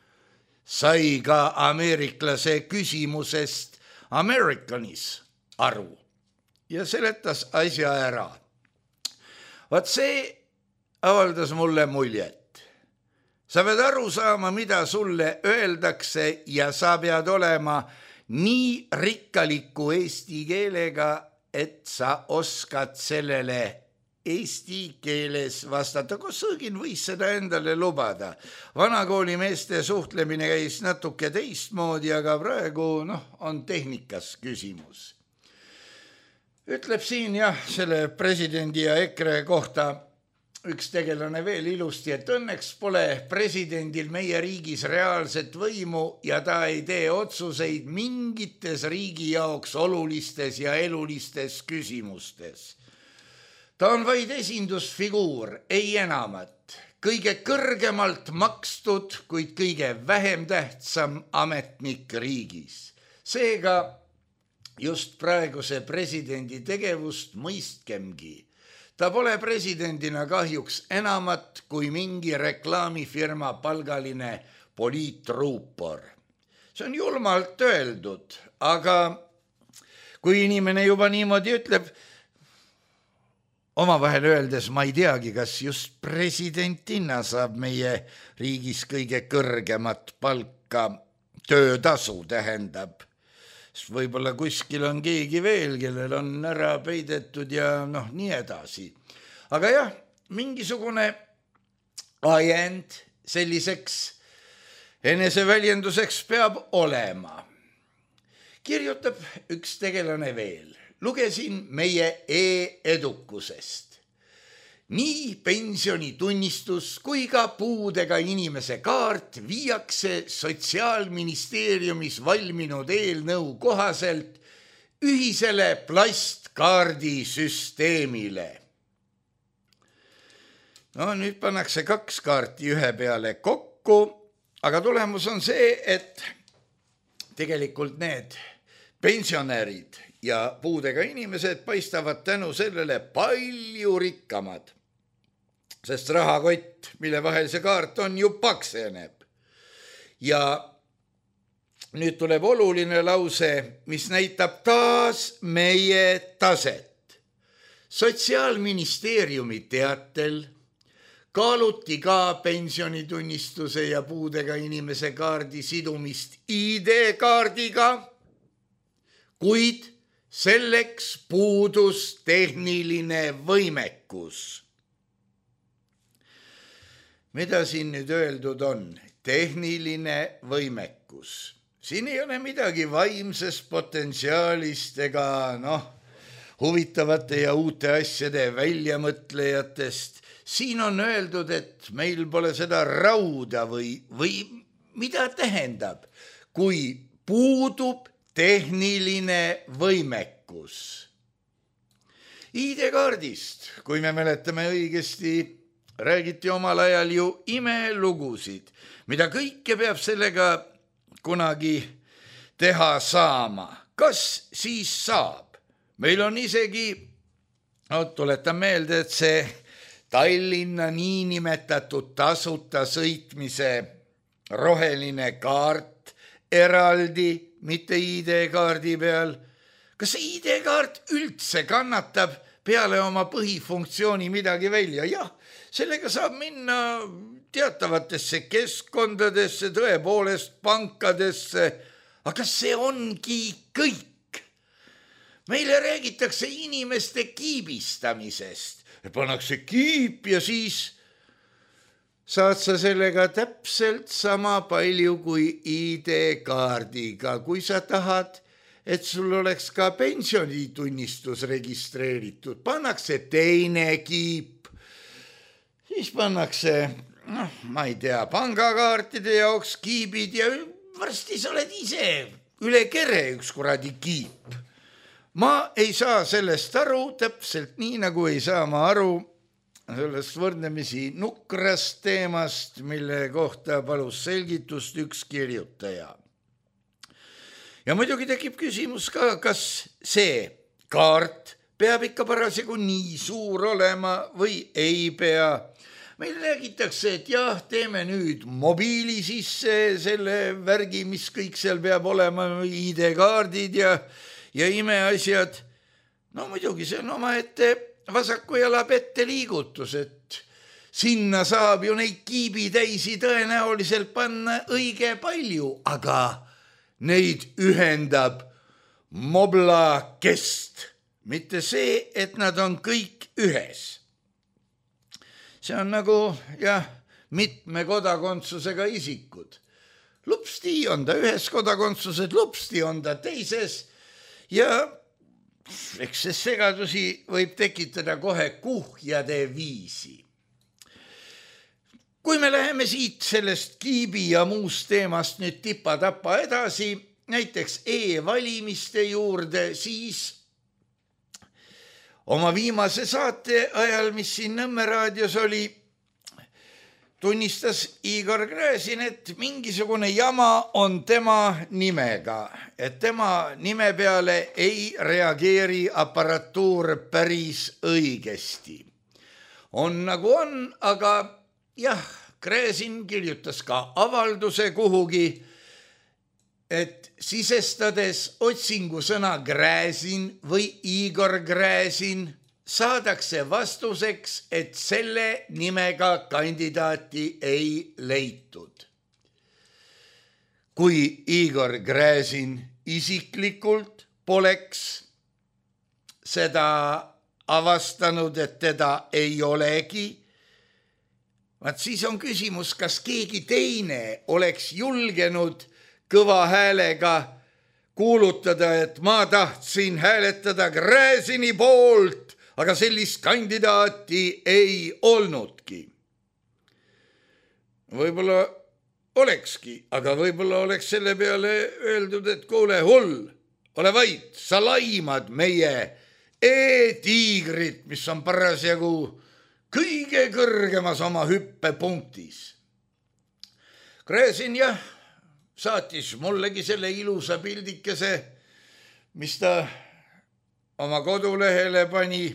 sai ka ameeriklase küsimusest Americanis aru ja seletas asja ära. Vaat see avaldas mulle muljet. Sa pead aru saama, mida sulle öeldakse ja sa pead olema nii rikkaliku eesti keelega, et sa oskad sellele eesti keeles vastata. Kosõgin võis seda endale lubada. Vanakooli meeste suhtlemine käis natuke teistmoodi, aga praegu noh, on tehnikas küsimus. Ütleb siin jah, selle presidendi ja EKRE kohta üks tegelane veel ilusti, et õnneks pole presidendil meie riigis reaalset võimu ja ta ei tee otsuseid mingites riigi jaoks olulistes ja elulistes küsimustes. Ta on vaid esindusfiguur, ei enamat, kõige kõrgemalt makstud, kuid kõige vähem tähtsam ametnik riigis. Seega just praeguse presidendi tegevust mõistkemgi. Ta pole presidendina kahjuks enamat kui mingi reklaamifirma palgaline poliitruupor. See on julmalt öeldud, aga kui inimene juba niimoodi ütleb, omavahel öeldes ma ei teagi, kas just presidentina saab meie riigis kõige kõrgemat palka, töötasu tähendab. Võib-olla kuskil on keegi veel, kellel on ära peidetud ja noh, nii edasi. Aga jah, mingisugune ajend selliseks eneseväljenduseks peab olema. Kirjutab üks tegelane veel. Lugesin meie e-edukusest. Nii pensionitunnistus kui ka puudega inimese kaart viiakse Sotsiaalministeeriumis valminud eelnõu kohaselt ühisele plastkaardisüsteemile. No nüüd pannakse kaks kaarti ühe peale kokku, aga tulemus on see, et tegelikult need pensionärid ja puudega inimesed paistavad tänu sellele palju rikkamad. Sest rahakott, mille vahel see kaart on, ju pakseneb. Ja nüüd tuleb oluline lause, mis näitab taas meie taset. Sotsiaalministeeriumi teatel kaaluti ka pensionitunnistuse ja puudega inimese kaardi sidumist I D-kaardiga, kuid selleks puudus tehniline võimekus. Mida siin nüüd öeldud on? Tehniline võimekus. Siin ei ole midagi vaimsest potentsiaalist ega noh, huvitavate ja uute asjade väljamõtlejatest. Siin on öeldud, et meil pole seda rauda või, või mida tähendab, kui puudub tehniline võimekus. I D-kaardist, kui me mäletame õigesti, räägiti omal ajal ju imelugusid, mida kõike peab sellega kunagi teha saama. Kas siis saab? Meil on isegi, no, tuletan meelde, et see Tallinna niinimetatud tasuta sõitmise roheline kaart eraldi, mitte I D-kaardi peal. Kas see I D-kaart üldse kannatab peale oma põhifunktsiooni midagi välja? Jah, sellega saab minna teatavatesse keskkondadesse, tõepoolest pankadesse, aga see ongi kõik. Meile räägitakse inimeste kiibistamisest. Pannakse kiip ja siis saad sa sellega täpselt sama palju kui I D-kaardiga, kui sa tahad, et sul oleks ka pensionitunnistus registreeritud. Pannakse teine kiip, siis pannakse, noh, ma ei tea, pangakaartide jaoks kiibid ja varsti sa oled ise üle kere üks kuradi kiip. Ma ei saa sellest aru, täpselt nii nagu ei saa ma aru sellest võrdlemisi nukrast teemast, mille kohta palus selgitust üks kirjutaja. Ja muidugi tekib küsimus ka, kas see kaart peab ikka parasjagu nii suur olema või ei pea. Meil räägitakse, et jah, teeme nüüd mobiili sisse selle värgi, mis kõik seal peab olema, I D-kaardid ja, ja imeasjad. No muidugi see on oma ette vasaku jala pette liigutus, et sinna saab ju neid kiibitäisi tõenäoliselt panna õige palju, aga neid ühendab moblakest, mitte see, et nad on kõik ühes. See on nagu, jah, mitme kodakondsusega isikud. Lupsti on ta ühes kodakondsused, lupsti on ta teises ja eks see segadusi võib tekitada kohe kuhjade viisi. Kui me läheme siit sellest kiibi ja muust teemast nüüd tipa-tapa edasi, näiteks e-valimiste juurde, siis oma viimase saate ajal, mis siin Nõmme raadios oli, tunnistas Igor Gräzin, et mingisugune jama on tema nimega, et tema nime peale ei reageeri aparatuur päris õigesti. On nagu on, aga jah, Gräzin kirjutas ka avalduse kuhugi, et sisestades otsingusõna Gräzin või Igor Gräzin, saadakse vastuseks, et selle nimega kandidaati ei leitud. Kui Igor Gräzin isiklikult poleks seda avastanud, et teda ei olegi, vaat siis on küsimus, kas keegi teine oleks julgenud kõva häälega kuulutada, et ma tahtsin hääletada Gräzini poolt, aga sellist kandidaati ei olnudki. Võib-olla olekski, aga võib-olla oleks selle peale öeldud, et kuule hull, ole vait, sa laimad meie e-tiigrit, mis on parasjagu kõige kõrgemas oma hüppepunktis. Gräzin jah, saatis mullegi selle ilusa pildikese, mis ta oma kodulehele pani,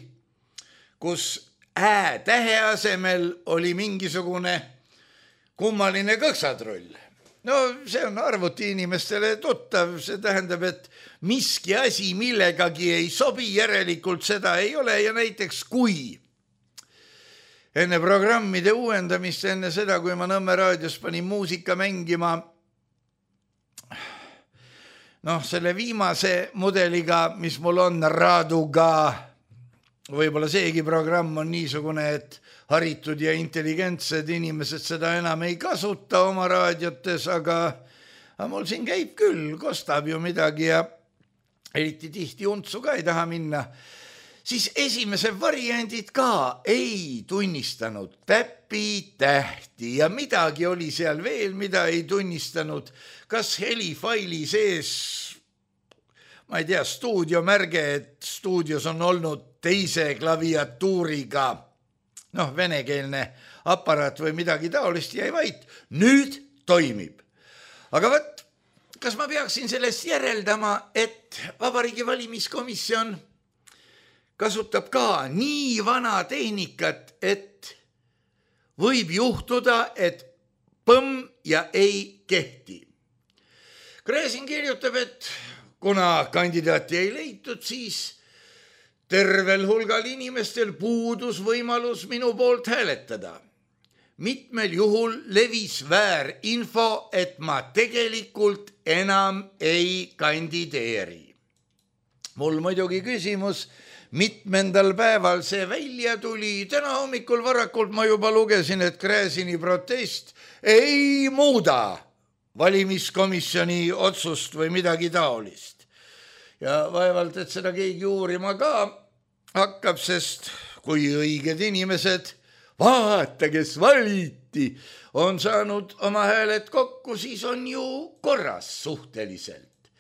kus ä tähe asemel oli mingisugune kummaline kõksatrull. No see on arvuti inimestele tuttav, see tähendab, et miski asi millegagi ei sobi, järelikult seda ei ole ja näiteks kui enne programmide uuendamist, enne seda, kui ma Nõmme raadios panin muusika mängima, noh, selle viimase mudeliga, mis mul on Raaduga, võib-olla seegi programm on niisugune, et haritud ja intelligentsed inimesed seda enam ei kasuta oma raadiotes, aga, aga mul siin käib küll, kostab ju midagi ja eriti tihti untsu ka ei taha minna. Siis esimese variandid ka ei tunnistanud täppi-tähti ja midagi oli seal veel, mida ei tunnistanud. Kas helifaili sees, ma ei tea, stuudiomärge, et stuudios on olnud teise klaviatuuriga noh, venekeelne aparaat või midagi taolist, jäi vait. Nüüd toimib. Aga võt, kas ma peaksin sellest järeldama, et Vabariigi Valimiskomisjon kasutab ka nii vana tehnikat, et võib juhtuda, et põmm ja ei kehti. Gräzin kirjutab, et kuna kandidaati ei leitud, siis tervel hulgal inimestel puudus võimalus minu poolt hääletada. Mitmel juhul levis väärinfo, et ma tegelikult enam ei kandideeri. Mul muidugi küsimus, mitmendal päeval see välja tuli. Täna hommikul varakult ma juba lugesin, et Gräzini protest ei muuda valimiskomisjoni otsust või midagi taolist. Ja vaevalt, et seda keegi uurima ka hakkab, sest kui õiged inimesed, vaata, kes valiti, on saanud oma hääled kokku, siis on ju korras suhteliselt.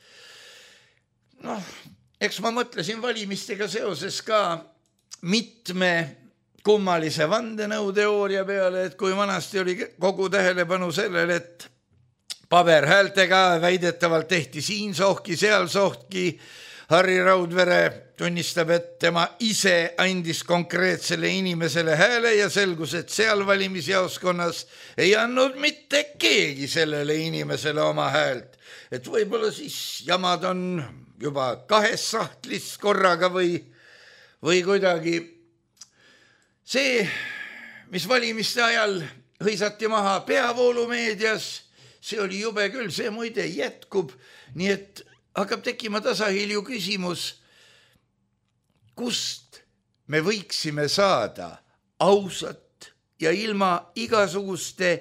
Noh, eks ma mõtlesin valimistega seoses ka mitme kummalise vandenõuteooria peale, et kui vanasti oli kogu tähelepanu sellele, et paberhäältega väidetavalt tehti siin sohki, seal sohki. Harri Raudvere tunnistab, et tema ise andis konkreetsele inimesele hääle ja selgus, et seal valimisjaoskonnas ei andnud mitte keegi sellele inimesele oma häält. Et võib-olla siis jamad on juba kahes sahtlis korraga või, või kuidagi. See, mis valimiste ajal hõisati maha peavoolumeedias, see oli jube küll, see muide jätkub, nii et hakkab tekkima tasahilju küsimus, kust me võiksime saada ausat ja ilma igasuguste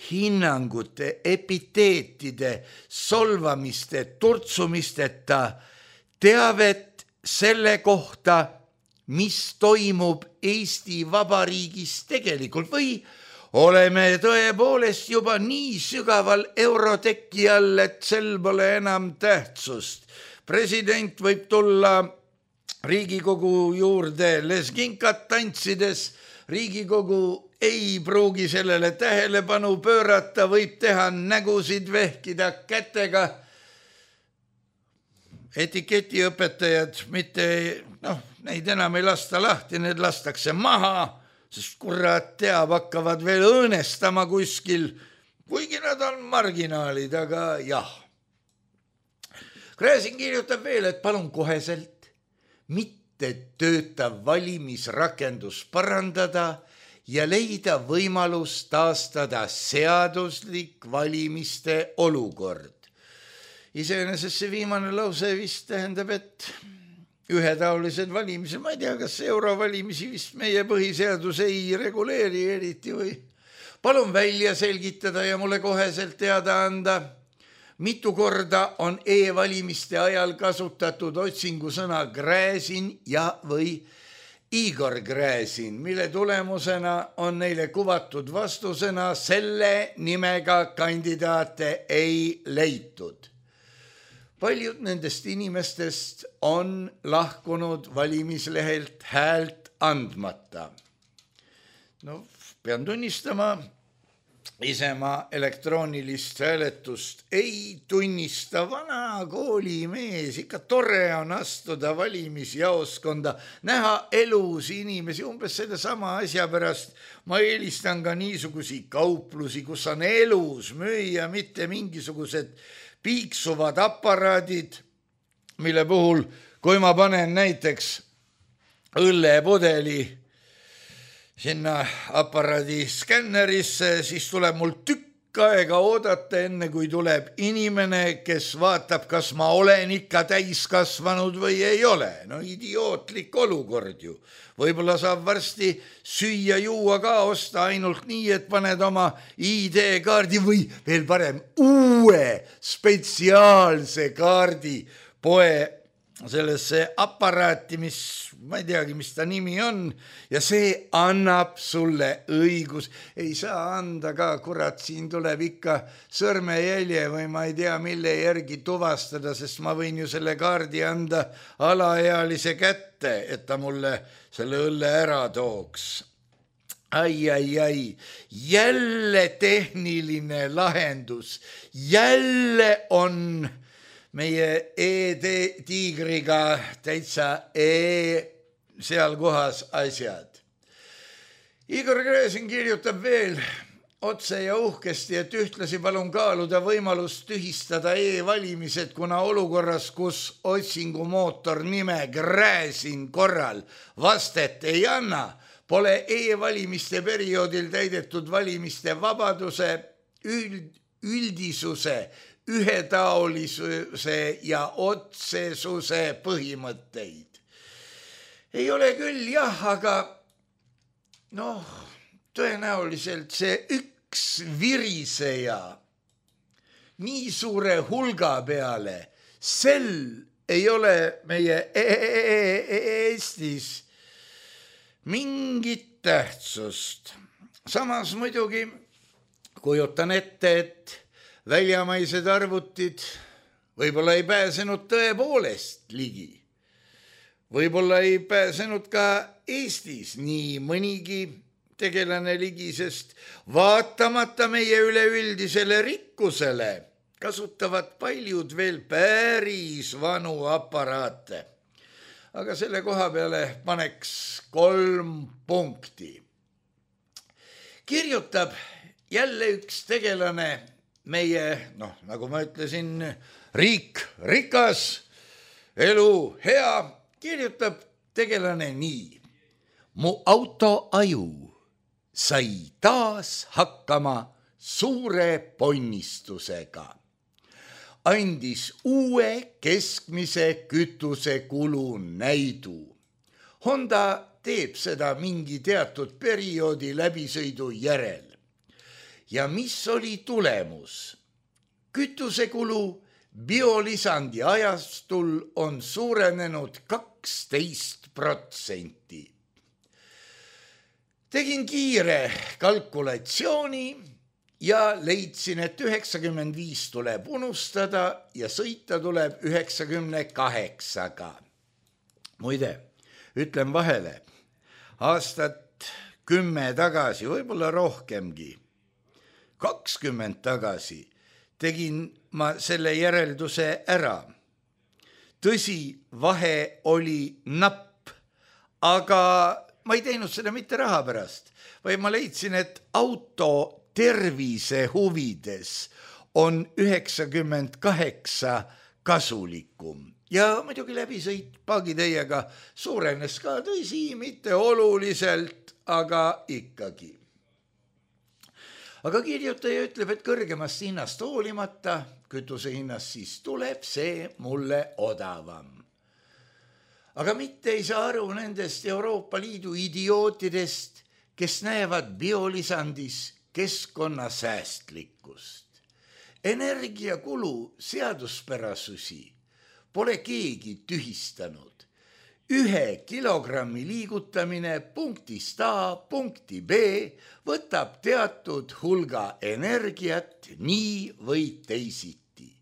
hinnangute, epiteetide, solvamiste, turtsumisteta teavet selle kohta, mis toimub Eesti Vabariigis tegelikult või oleme tõepoolest juba nii sügaval euroteki all, et sel pole enam tähtsust. President võib tulla Riigikogu juurde lesginkat tantsides, Riigikogu ei pruugi sellele tähelepanu pöörata, võib teha nägusid, vehkida kätega. Etiketiõpetajad mitte, noh, neid enam ei lasta lahti, need lastakse maha, sest kurat teab, hakkavad veel õõnestama kuskil, kuigi nad on marginaalid, aga jah. Gräzin kirjutab veel, et palun koheselt mitte töötav valimisrakendus parandada ja leida võimalus taastada seaduslik valimiste olukord. Iseenesest see viimane lause vist tähendab, et ühetaolised valimised, ma ei tea, kas eurovalimisi vist meie põhiseadus ei reguleeri eriti või. Palun välja selgitada ja mulle koheselt teada anda, mitu korda on e-valimiste ajal kasutatud otsingusõna Gräzin ja või Igor Gräzin, mille tulemusena on neile kuvatud vastusena selle nimega kandidaate ei leitud. Paljud nendest inimestest on lahkunud valimislehelt häält andmata. No, pean tunnistama, ise ma elektroonilist hääletust ei tunnista. Vana koolimees, ikka tore on astuda valimisjaoskonda, näha elus inimesi, umbes selle sama asja pärast. Ma eelistan ka niisugusi kauplusi, kus on elus müüa, mitte mingisugused piiksuvad aparaadid, mille puhul, kui ma panen näiteks õllepudeli sinna aparaadi skännerisse, siis tuleb mul tükk aega oodata, enne kui tuleb inimene, kes vaatab, kas ma olen ikka täiskasvanud või ei ole. No idiootlik olukord ju. Võib-olla saab varsti süüa juua ka osta ainult nii, et paned oma I D-kaardi või veel parem uue spetsiaalse kaardi poe sellesse aparaati, mis ma ei teagi, mis ta nimi on, ja see annab sulle õigus. Ei saa anda ka, kurat, siin tuleb ikka sõrmejälje või ma ei tea, mille järgi tuvastada, sest ma võin ju selle kaardi anda alaealise kätte, et ta mulle selle õlle ära tooks. ai, ai, ai, jälle tehniline lahendus, jälle on meie e-tiigriga täitsa e seal kohas asjad. Igor Gräzin kirjutab veel otse ja uhkesti, et ühtlasi palun kaaluda võimalust tühistada e-valimised, kuna olukorras, kus otsingumootor nime Gräzin korral vastet ei anna, pole e-valimiste perioodil täidetud valimiste vabaduse, üld, üldisuse, ühetaolisuse ja otsesuse põhimõtteid. Ei ole küll jah, aga noh, tõenäoliselt see üks viriseja nii suure hulga peale, sel ei ole meie Eestis mingit tähtsust. Samas muidugi kujutan ette, et väljamaised arvutid võib-olla ei pääsenud tõepoolest ligi. Võib-olla ei pääsenud ka Eestis nii mõnigi tegelane ligi, sest vaatamata meie üleüldisele rikkusele kasutavad paljud veel päris vanu aparaate. Aga selle koha peale paneks kolm punkti. Kirjutab jälle üks tegelane meie, noh, nagu ma ütlesin, riik, rikas, elu hea, kirjutab tegelane nii. Mu auto aju sai taas hakkama suure ponnistusega. Andis uue keskmise kütusekulu näidu. Honda teeb seda mingi teatud perioodi läbisõidu järel. Ja mis oli tulemus? Kütusekulu biolisandi ajastul on suurenenud kaksteist protsenti. Tegin kiire kalkulatsiooni ja leidsin, et üheksakümmend viis tuleb unustada ja sõita tuleb üheksakümne kaheksaga. Muide, ütlen vahele, aastat kümme tagasi, võib-olla rohkemgi, kakskümmend tagasi tegin ma selle järelduse ära. Tõsi, vahe oli napp, aga ma ei teinud seda mitte raha pärast, vaid ma leidsin, et auto tervise huvides on üheksakümmend kaheksa kasulikum. Ja muidugi läbisõit paagiteiega suurenes ka, tõsi, mitte oluliselt, aga ikkagi. Aga kirjutaja ütleb, et kõrgemast hinnast hoolimata, kütuse hinnast siis tuleb see mulle odavam. Aga mitte ei saa aru nendest Euroopa Liidu idiootidest, kes näevad biolisandis keskkonnasäästlikkust. Energiakulu seaduspärasusi pole keegi tühistanud. Ühe kilogrammi liigutamine punktist A punkti B võtab teatud hulga energiat nii või teisiti.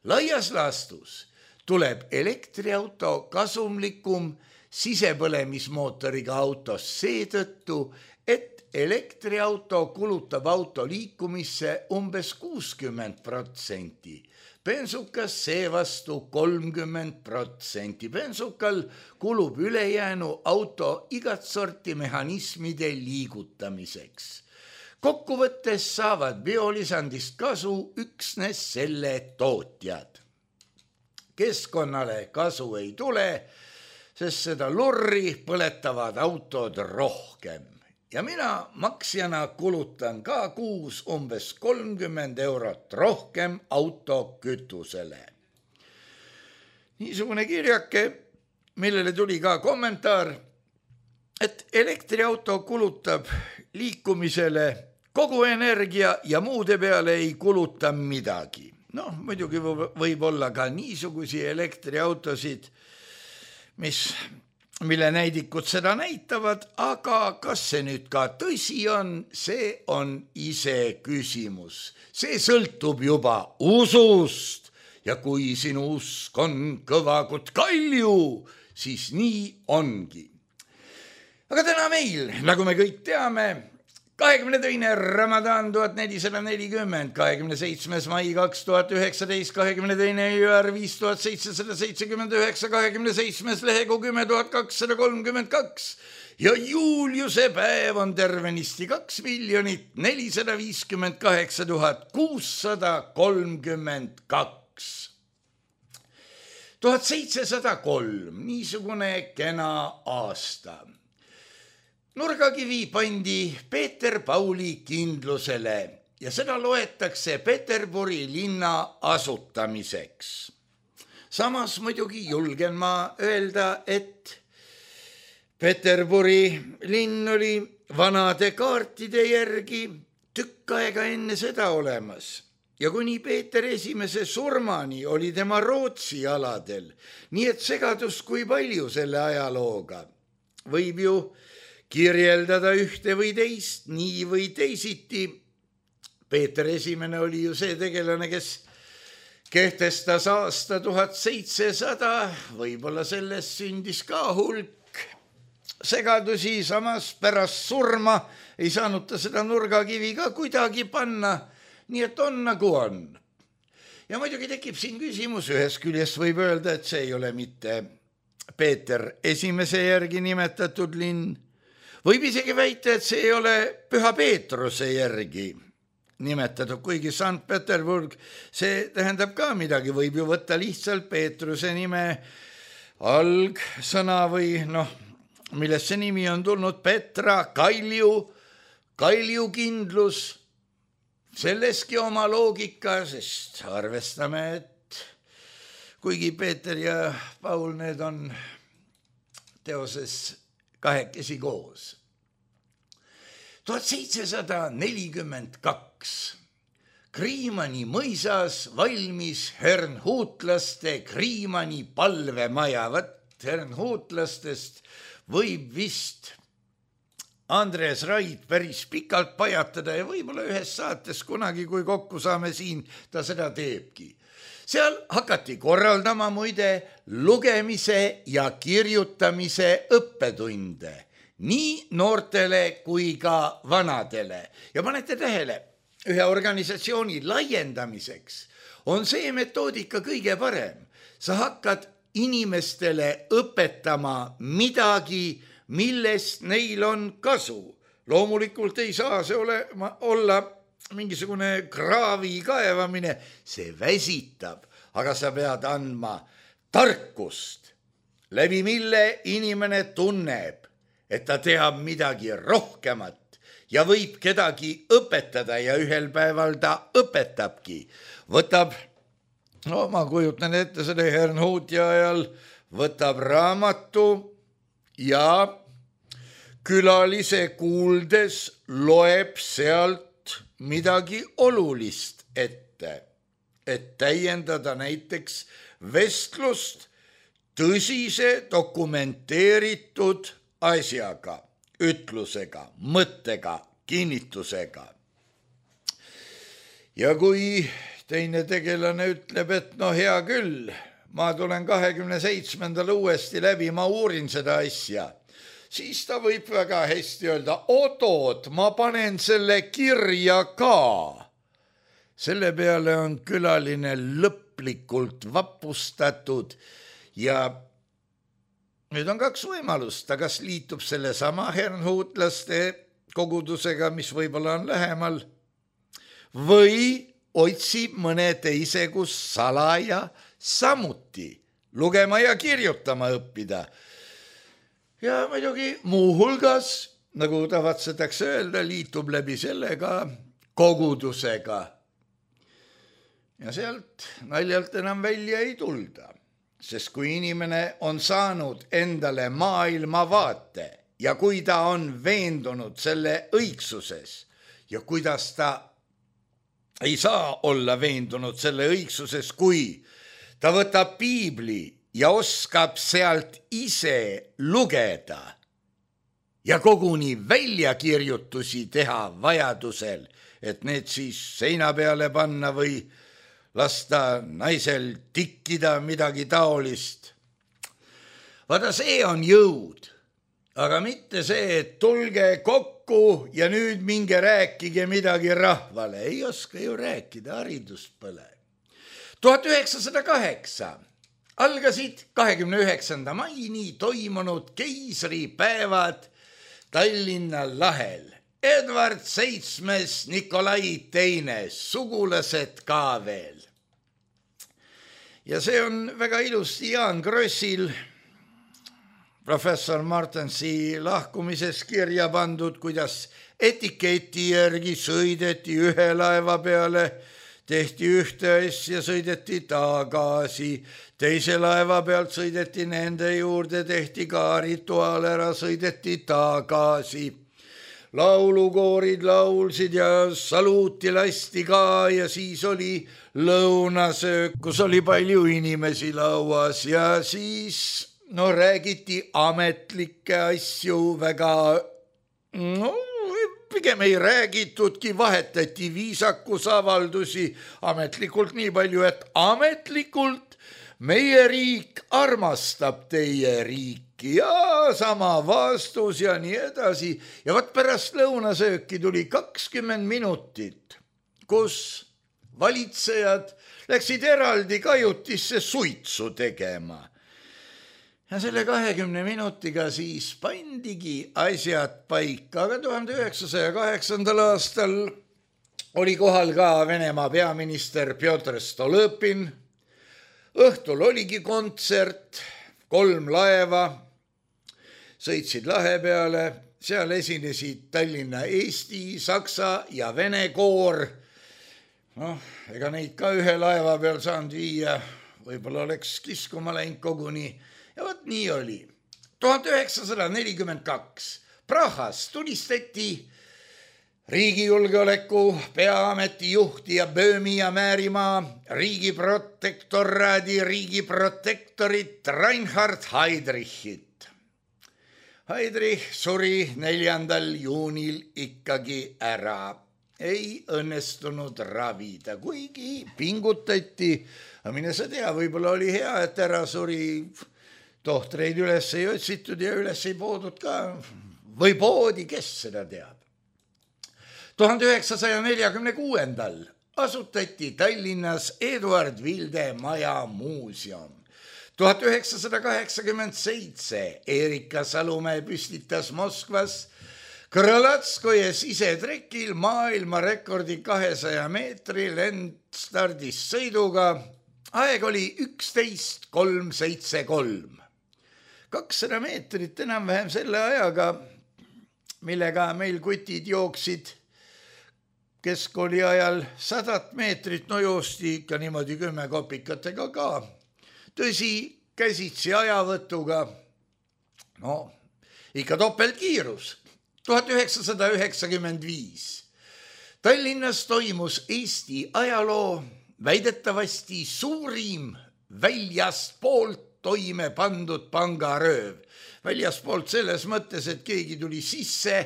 Laias laastus tuleb elektriauto kasumlikum sisepõlemismootoriga autos seetõttu, et elektriauto kulutab auto liikumisse umbes kuuskümmend protsenti. Bensukas seevastu kolmkümmend protsenti. Bensukal kulub ülejäänu auto igat sorti mehhanismide liigutamiseks. Kokkuvõttes saavad biolisandist kasu üksnes selle tootjad. Keskkonnale kasu ei tule, sest seda lurri põletavad autod rohkem. Ja mina maksjana kulutan ka kuus umbes kolmkümmend eurot rohkem autokütusele. Niisugune kirjake, millele tuli ka kommentaar, et elektriauto kulutab liikumisele kogu energia ja muude peale ei kuluta midagi. Noh, muidugi võib olla ka niisugusi elektriautosid, mis, mille näidikud seda näitavad, aga kas see nüüd ka tõsi on, see on ise küsimus. See sõltub juba usust ja kui sinu usk on kõva kui kalju, siis nii ongi. Aga täna meil, nagu me kõik teame, kahekümne teine Ramadan tuhat nelisada nelikümmend, kahekümne seitsmes mai kaks tuhat üheksateist, kahekümne teine jaanuar viis tuhat seitsesada seitsekümmend üheksa, kahekümne seitsmes lehekuu kümme tuhat kakssada kolmkümmend kaks ja Juliuse päev on tervenisti kaks miljonit nelisada viiskümmend kaheksa tuhat kuussada kolmkümmend kaks. tuhat seitsesada kolm, niisugune kena aasta. Nurgakivi pandi Peeter Pauli kindlusele ja seda loetakse Peterburi linna asutamiseks. Samas muidugi julgen ma öelda, et Peterburi linn oli vanade kaartide järgi tükk aega enne seda olemas ja kuni Peeter esimese surmani oli tema Rootsi aladel, nii et segadus kui palju selle ajalooga. Võib ju kirjeldada ühte või teist, nii või teisiti. Peeter esimene oli ju see tegelane, kes kehtestas aasta tuhat seitsesada, võib-olla sellest sündis ka hulk segadusi, samas pärast surma ei saanud ta seda nurgakivi ka kuidagi panna, nii et on nagu on. Ja muidugi tekib siin küsimus, ühest küljest võib öelda, et see ei ole mitte Peeter esimese järgi nimetatud linn, võib isegi väita, et see ei ole Püha Peetruse järgi nimetatud, kuigi Sankt Peterburg, see tähendab ka midagi, võib ju võtta lihtsalt Peetruse nime algsõna või noh, millest see nimi on tulnud, Petra, Kalju, kaljukindlus, selleski oma loogika, sest arvestame, et kuigi Peeter ja Paul, need on teoses kahekesi koos. tuhat seitsesada nelikümmend kaks. Kriimani mõisas valmis hernhuutlaste Kriimani palvemaja. Võt hernhuutlastest võib vist Andres Raid päris pikalt pajatada ja võib-olla ühes saates kunagi, kui kokku saame siin, ta seda teebki. Seal hakati korraldama muide lugemise ja kirjutamise õppetunde, nii noortele kui ka vanadele. Ja panete tähele, ühe organisatsiooni laiendamiseks on see metoodika kõige parem. Sa hakkad inimestele õpetama midagi, millest neil on kasu. Loomulikult ei saa see olema, olla mingisugune kraavi kaevamine, see väsitab, aga sa pead andma tarkust, läbi mille inimene tunneb, et ta teab midagi rohkemat ja võib kedagi õpetada ja ühel päeval ta õpetabki. Võtab, no ma kujutan ette selle Hernhuuti ajal, võtab raamatu ja külalise kuuldes loeb sealt midagi olulist ette, et täiendada näiteks vestlust tõsise dokumenteeritud asjaga, ütlusega, mõttega, kinnitusega. Ja kui teine tegelane ütleb, et no hea küll, ma tulen kahekümne seitsmendal uuesti läbi, ma uurin seda asja, siis ta võib väga hästi öelda, oot-oot, ma panen selle kirja ka. Selle peale on külaline lõplikult vapustatud ja nüüd on kaks võimalust, ta kas liitub selle sama hernhuutlaste kogudusega, mis võib-olla on lähemal, või otsib mõne teise, kus salaja samuti lugema ja kirjutama õppida. Ja muidugi muu hulgas, nagu tavatsetakse öelda, liitub läbi sellega kogudusega. Ja sealt naljalt enam välja ei tulda, sest kui inimene on saanud endale maailmavaate ja kui ta on veendunud selle õigsuses ja kuidas ta ei saa olla veendunud selle õigsuses, kui ta võtab piibli ja oskab sealt ise lugeda ja koguni väljakirjutusi teha vajadusel, et need siis seina peale panna või lasta naisel tikkida midagi taolist. Vaata, see on jõud, aga mitte see, et tulge kokku kokku ja nüüd minge rääkige midagi rahvale. Ei oska ju rääkida, haridust pole. tuhat üheksasada kaheksa algasid kahekümne üheksanda maini toimunud keisripäevad Tallinna lahel. Edward seitsmes, Nikolai teine, sugulased ka veel. Ja see on väga ilusti Jaan Krossil professor Martensi lahkumises kirja pandud, kuidas etiketi järgi sõideti ühe laeva peale, tehti ühte asja, sõideti tagasi, teise laeva pealt sõideti nende juurde, tehti ka rituaal ära, sõideti tagasi. Laulukoorid laulsid ja saluuti lasti ka ja siis oli lõunasöök, kus oli palju inimesi lauas ja siis no räägiti ametlikke asju väga, no pigem ei räägitudki, vahetati viisakusavaldusi ametlikult nii palju, et ametlikult meie riik armastab teie riiki ja sama vastus ja nii edasi. Ja võt pärast lõunasööki tuli kakskümmend minutit, kus valitsejad läksid eraldi kajutisse suitsu tegema. Ja selle kahekümne minutiga siis pandigi asjad paika, aga tuhande üheksasaja kaheksandal aastal oli kohal ka Venemaa peaminister Pjotr Stolõpin. Õhtul oligi kontsert, kolm laeva sõitsid lahe peale, seal esinesid Tallinna Eesti, Saksa ja Vene koor. Noh, ega neid ka ühe laeva peal saanud viia, võib-olla oleks kiskuma läinud koguni. Ja võt nii oli. tuhande üheksasada nelikümmend kaks Prahas tulistati riigijulgeoleku peaameti juhti ja Böömi ja Määrimaa riigiprotektoraadi riigiprotektorit Reinhard Heydrichit. Heydrich suri neljandal juunil ikkagi ära. Ei õnnestunud ravida, kuigi pingutati. Mine sa tea, võib-olla oli hea, et ära suri. Tohtreid üles ei otsitud ja üles ei poodud ka. Või poodi, kes seda teab. tuhande üheksasaja neljakümne kuuendal asutati Tallinnas Eduard Vilde Maja muuseum. tuhat üheksasada kaheksakümmend seitse Erika Salumäe püstitas Moskvas Krõlatskoje sisetrekil maailmarekordi kahesaja meetri lendstardist sõiduga. Aeg oli üksteist kolm seitse kolm. kakssada meetrit enam-vähem selle ajaga, millega meil kutid jooksid keskkooli ajal sadat meetrit, no joosti ikka niimoodi kümme kopikatega ka. Tõsi, käsitsi ajavõtuga, no ikka topeltkiirus. tuhat üheksasada üheksakümmend viis Tallinnas toimus Eesti ajaloo väidetavasti suurim väljastpoolt toime pandud pangarööv. Väljastpoolt selles mõttes, et keegi tuli sisse,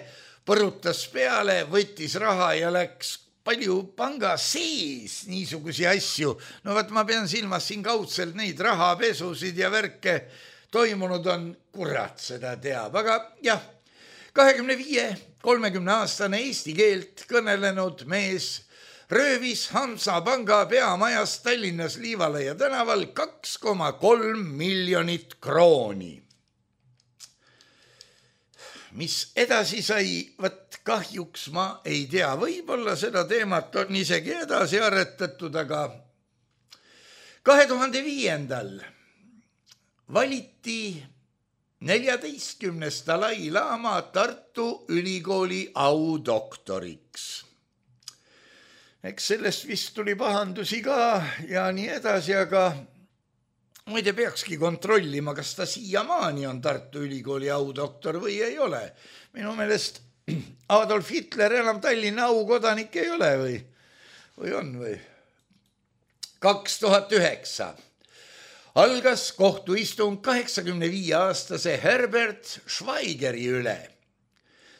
põrutas peale, võttis raha ja läks. Palju panga sees niisugusi asju. No vaat ma pean silmas siin kaudselt neid rahapesusid ja värke toimunud on, kurat seda teab. Aga jah, kahekümne viie kolmekümne aastane eesti keelt kõnelenud mees röövis Hansapanga peamajas Tallinnas Liivalaia tänaval kaks koma kolm miljonit krooni. Mis edasi sai, võt kahjuks ma ei tea, võib-olla seda teemat on isegi edasi aretatud, aga kahe tuhande viiendal valiti neljateistkümnes Dalai-laama Tartu Ülikooli audoktoriks. Eks sellest vist tuli pahandusi ka ja nii edasi, aga muide peakski kontrollima, kas ta siiamaani on Tartu Ülikooli audoktor või ei ole. Minu meelest Adolf Hitler enam Tallinna aukodanik ei ole või, või on või? kaks tuhat üheksa algas kohtuistung kaheksakümne viie aastase Herbert Schweigeri üle.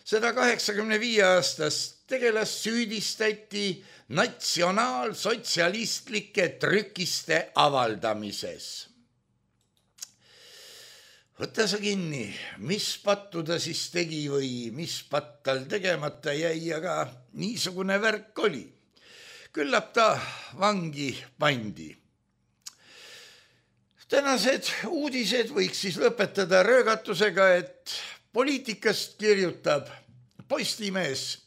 Seda kaheksakümne viie aastast tegelas süüdistati natsionaalsotsialistlike trükiste avaldamises. võta sa kinni, mis pattu ta siis tegi või mis patt tal tegemata jäi, aga niisugune värk oli. Küllap ta vangi pandi. Tänased uudised võiks siis lõpetada röögatusega, et poliitikast kirjutab Postimees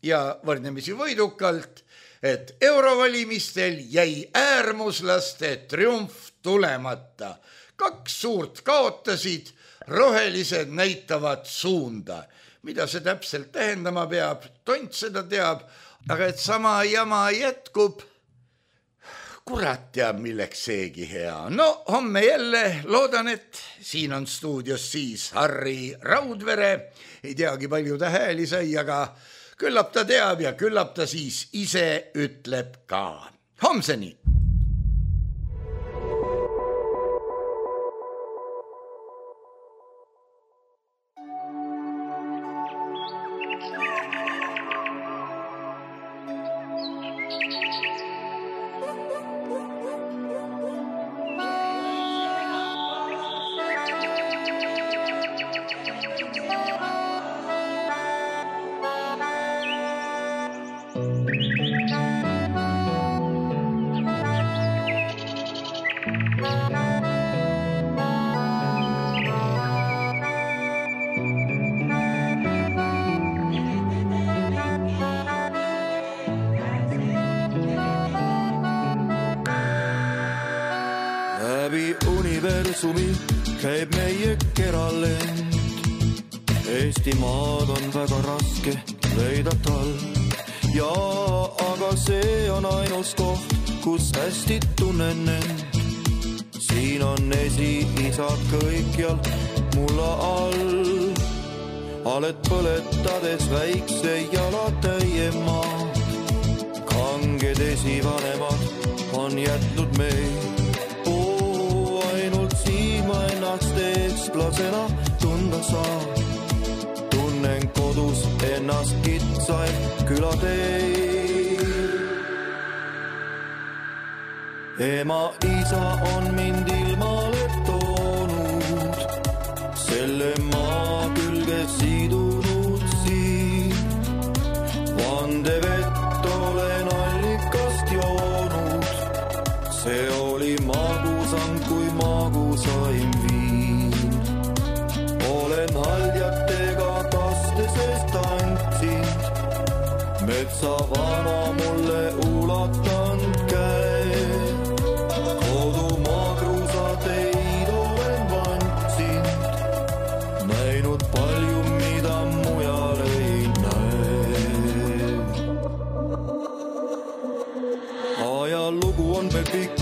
ja võrdlemisi võidukalt, et eurovalimistel jäi äärmuslaste triumf tulemata. Kaks suurt kaotasid, rohelised näitavad suunda. Mida see täpselt tähendama peab, tont seda teab, aga et sama jama jätkub, kurat teab, milleks seegi hea. No homme jälle loodan, et siin on stuudios siis Harri Raudvere. Ei teagi palju ta hääli sai, aga küllap ta teab ja küllap ta siis ise ütleb ka. Homseni! Käib meie keralend. Eestimaad on väga raske leida tal. Ja aga see on ainus koht, kus hästi tunnen end. Siin on esi-isad kõikjal mulla all. Aled põletades väikse jalatäie maad. Kanged esivanemad on jätnud meid. Ennast eestlasena tunda saa. Tunnen kodus ennast kitsain külateel. Ema isa on mind ilmale toonud, selle maa külge sidunud siin. Vandevett olen allikast joonud, see oli magusam kui magusaim viin. Olen haljatega kastesest tantsind, metsa vana mulle ulatanud käe. Kodumaa kruusateid olen vantsind, näinud palju, mida mujal ei näe. Ajalugu on veel pikk,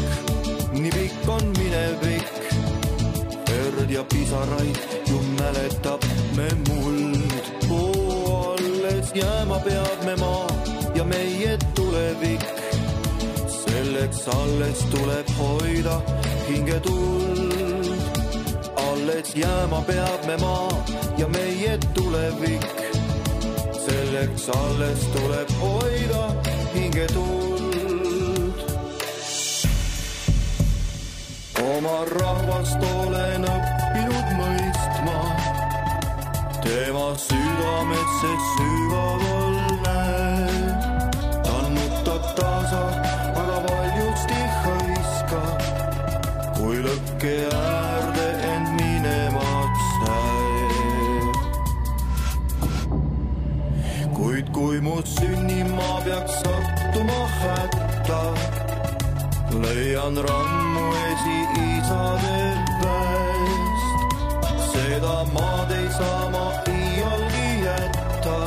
nii pikk on minevik. Verd ja pisaraid ju mäletab me muld. Oo, alles jääma peab me maa ja meie tulevik. Selleks alles tuleb hoida hingetuld. Alles jääma peab me maa ja meie tulevik. Selleks alles tuleb hoida hingetuld. Oma rahvast olen õppinud mõistma, tema südamet see sügaval näeb. Tannutab tasa, aga valjusti hõiska, kui lõkke äärde end minemaks näeb. Kuid kui mu sünnimaa peaks sattuma hätta, leian rammu esi-isade väest. Seda maad ei saa ma iialgi jätta,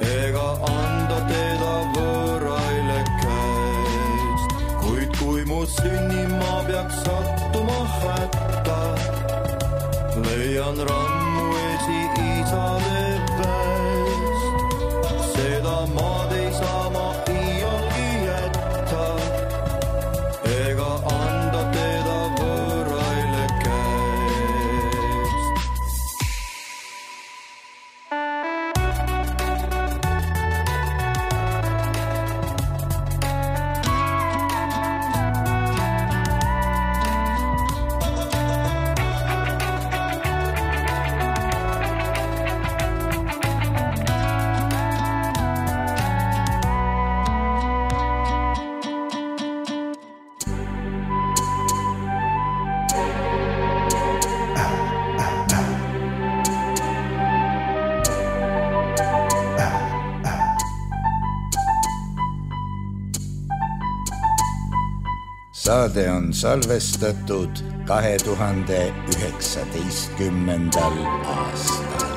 ega anda teda võõraile käest. Kuid kui mu sünnimaa peaks sattuma hätta, leian rammu esi-isade väest. Seda maad ei saa ma iialgi jätta, ega anda teda võõraile käest. saade on salvestatud kahe tuhande üheksateistkümnendal aastal.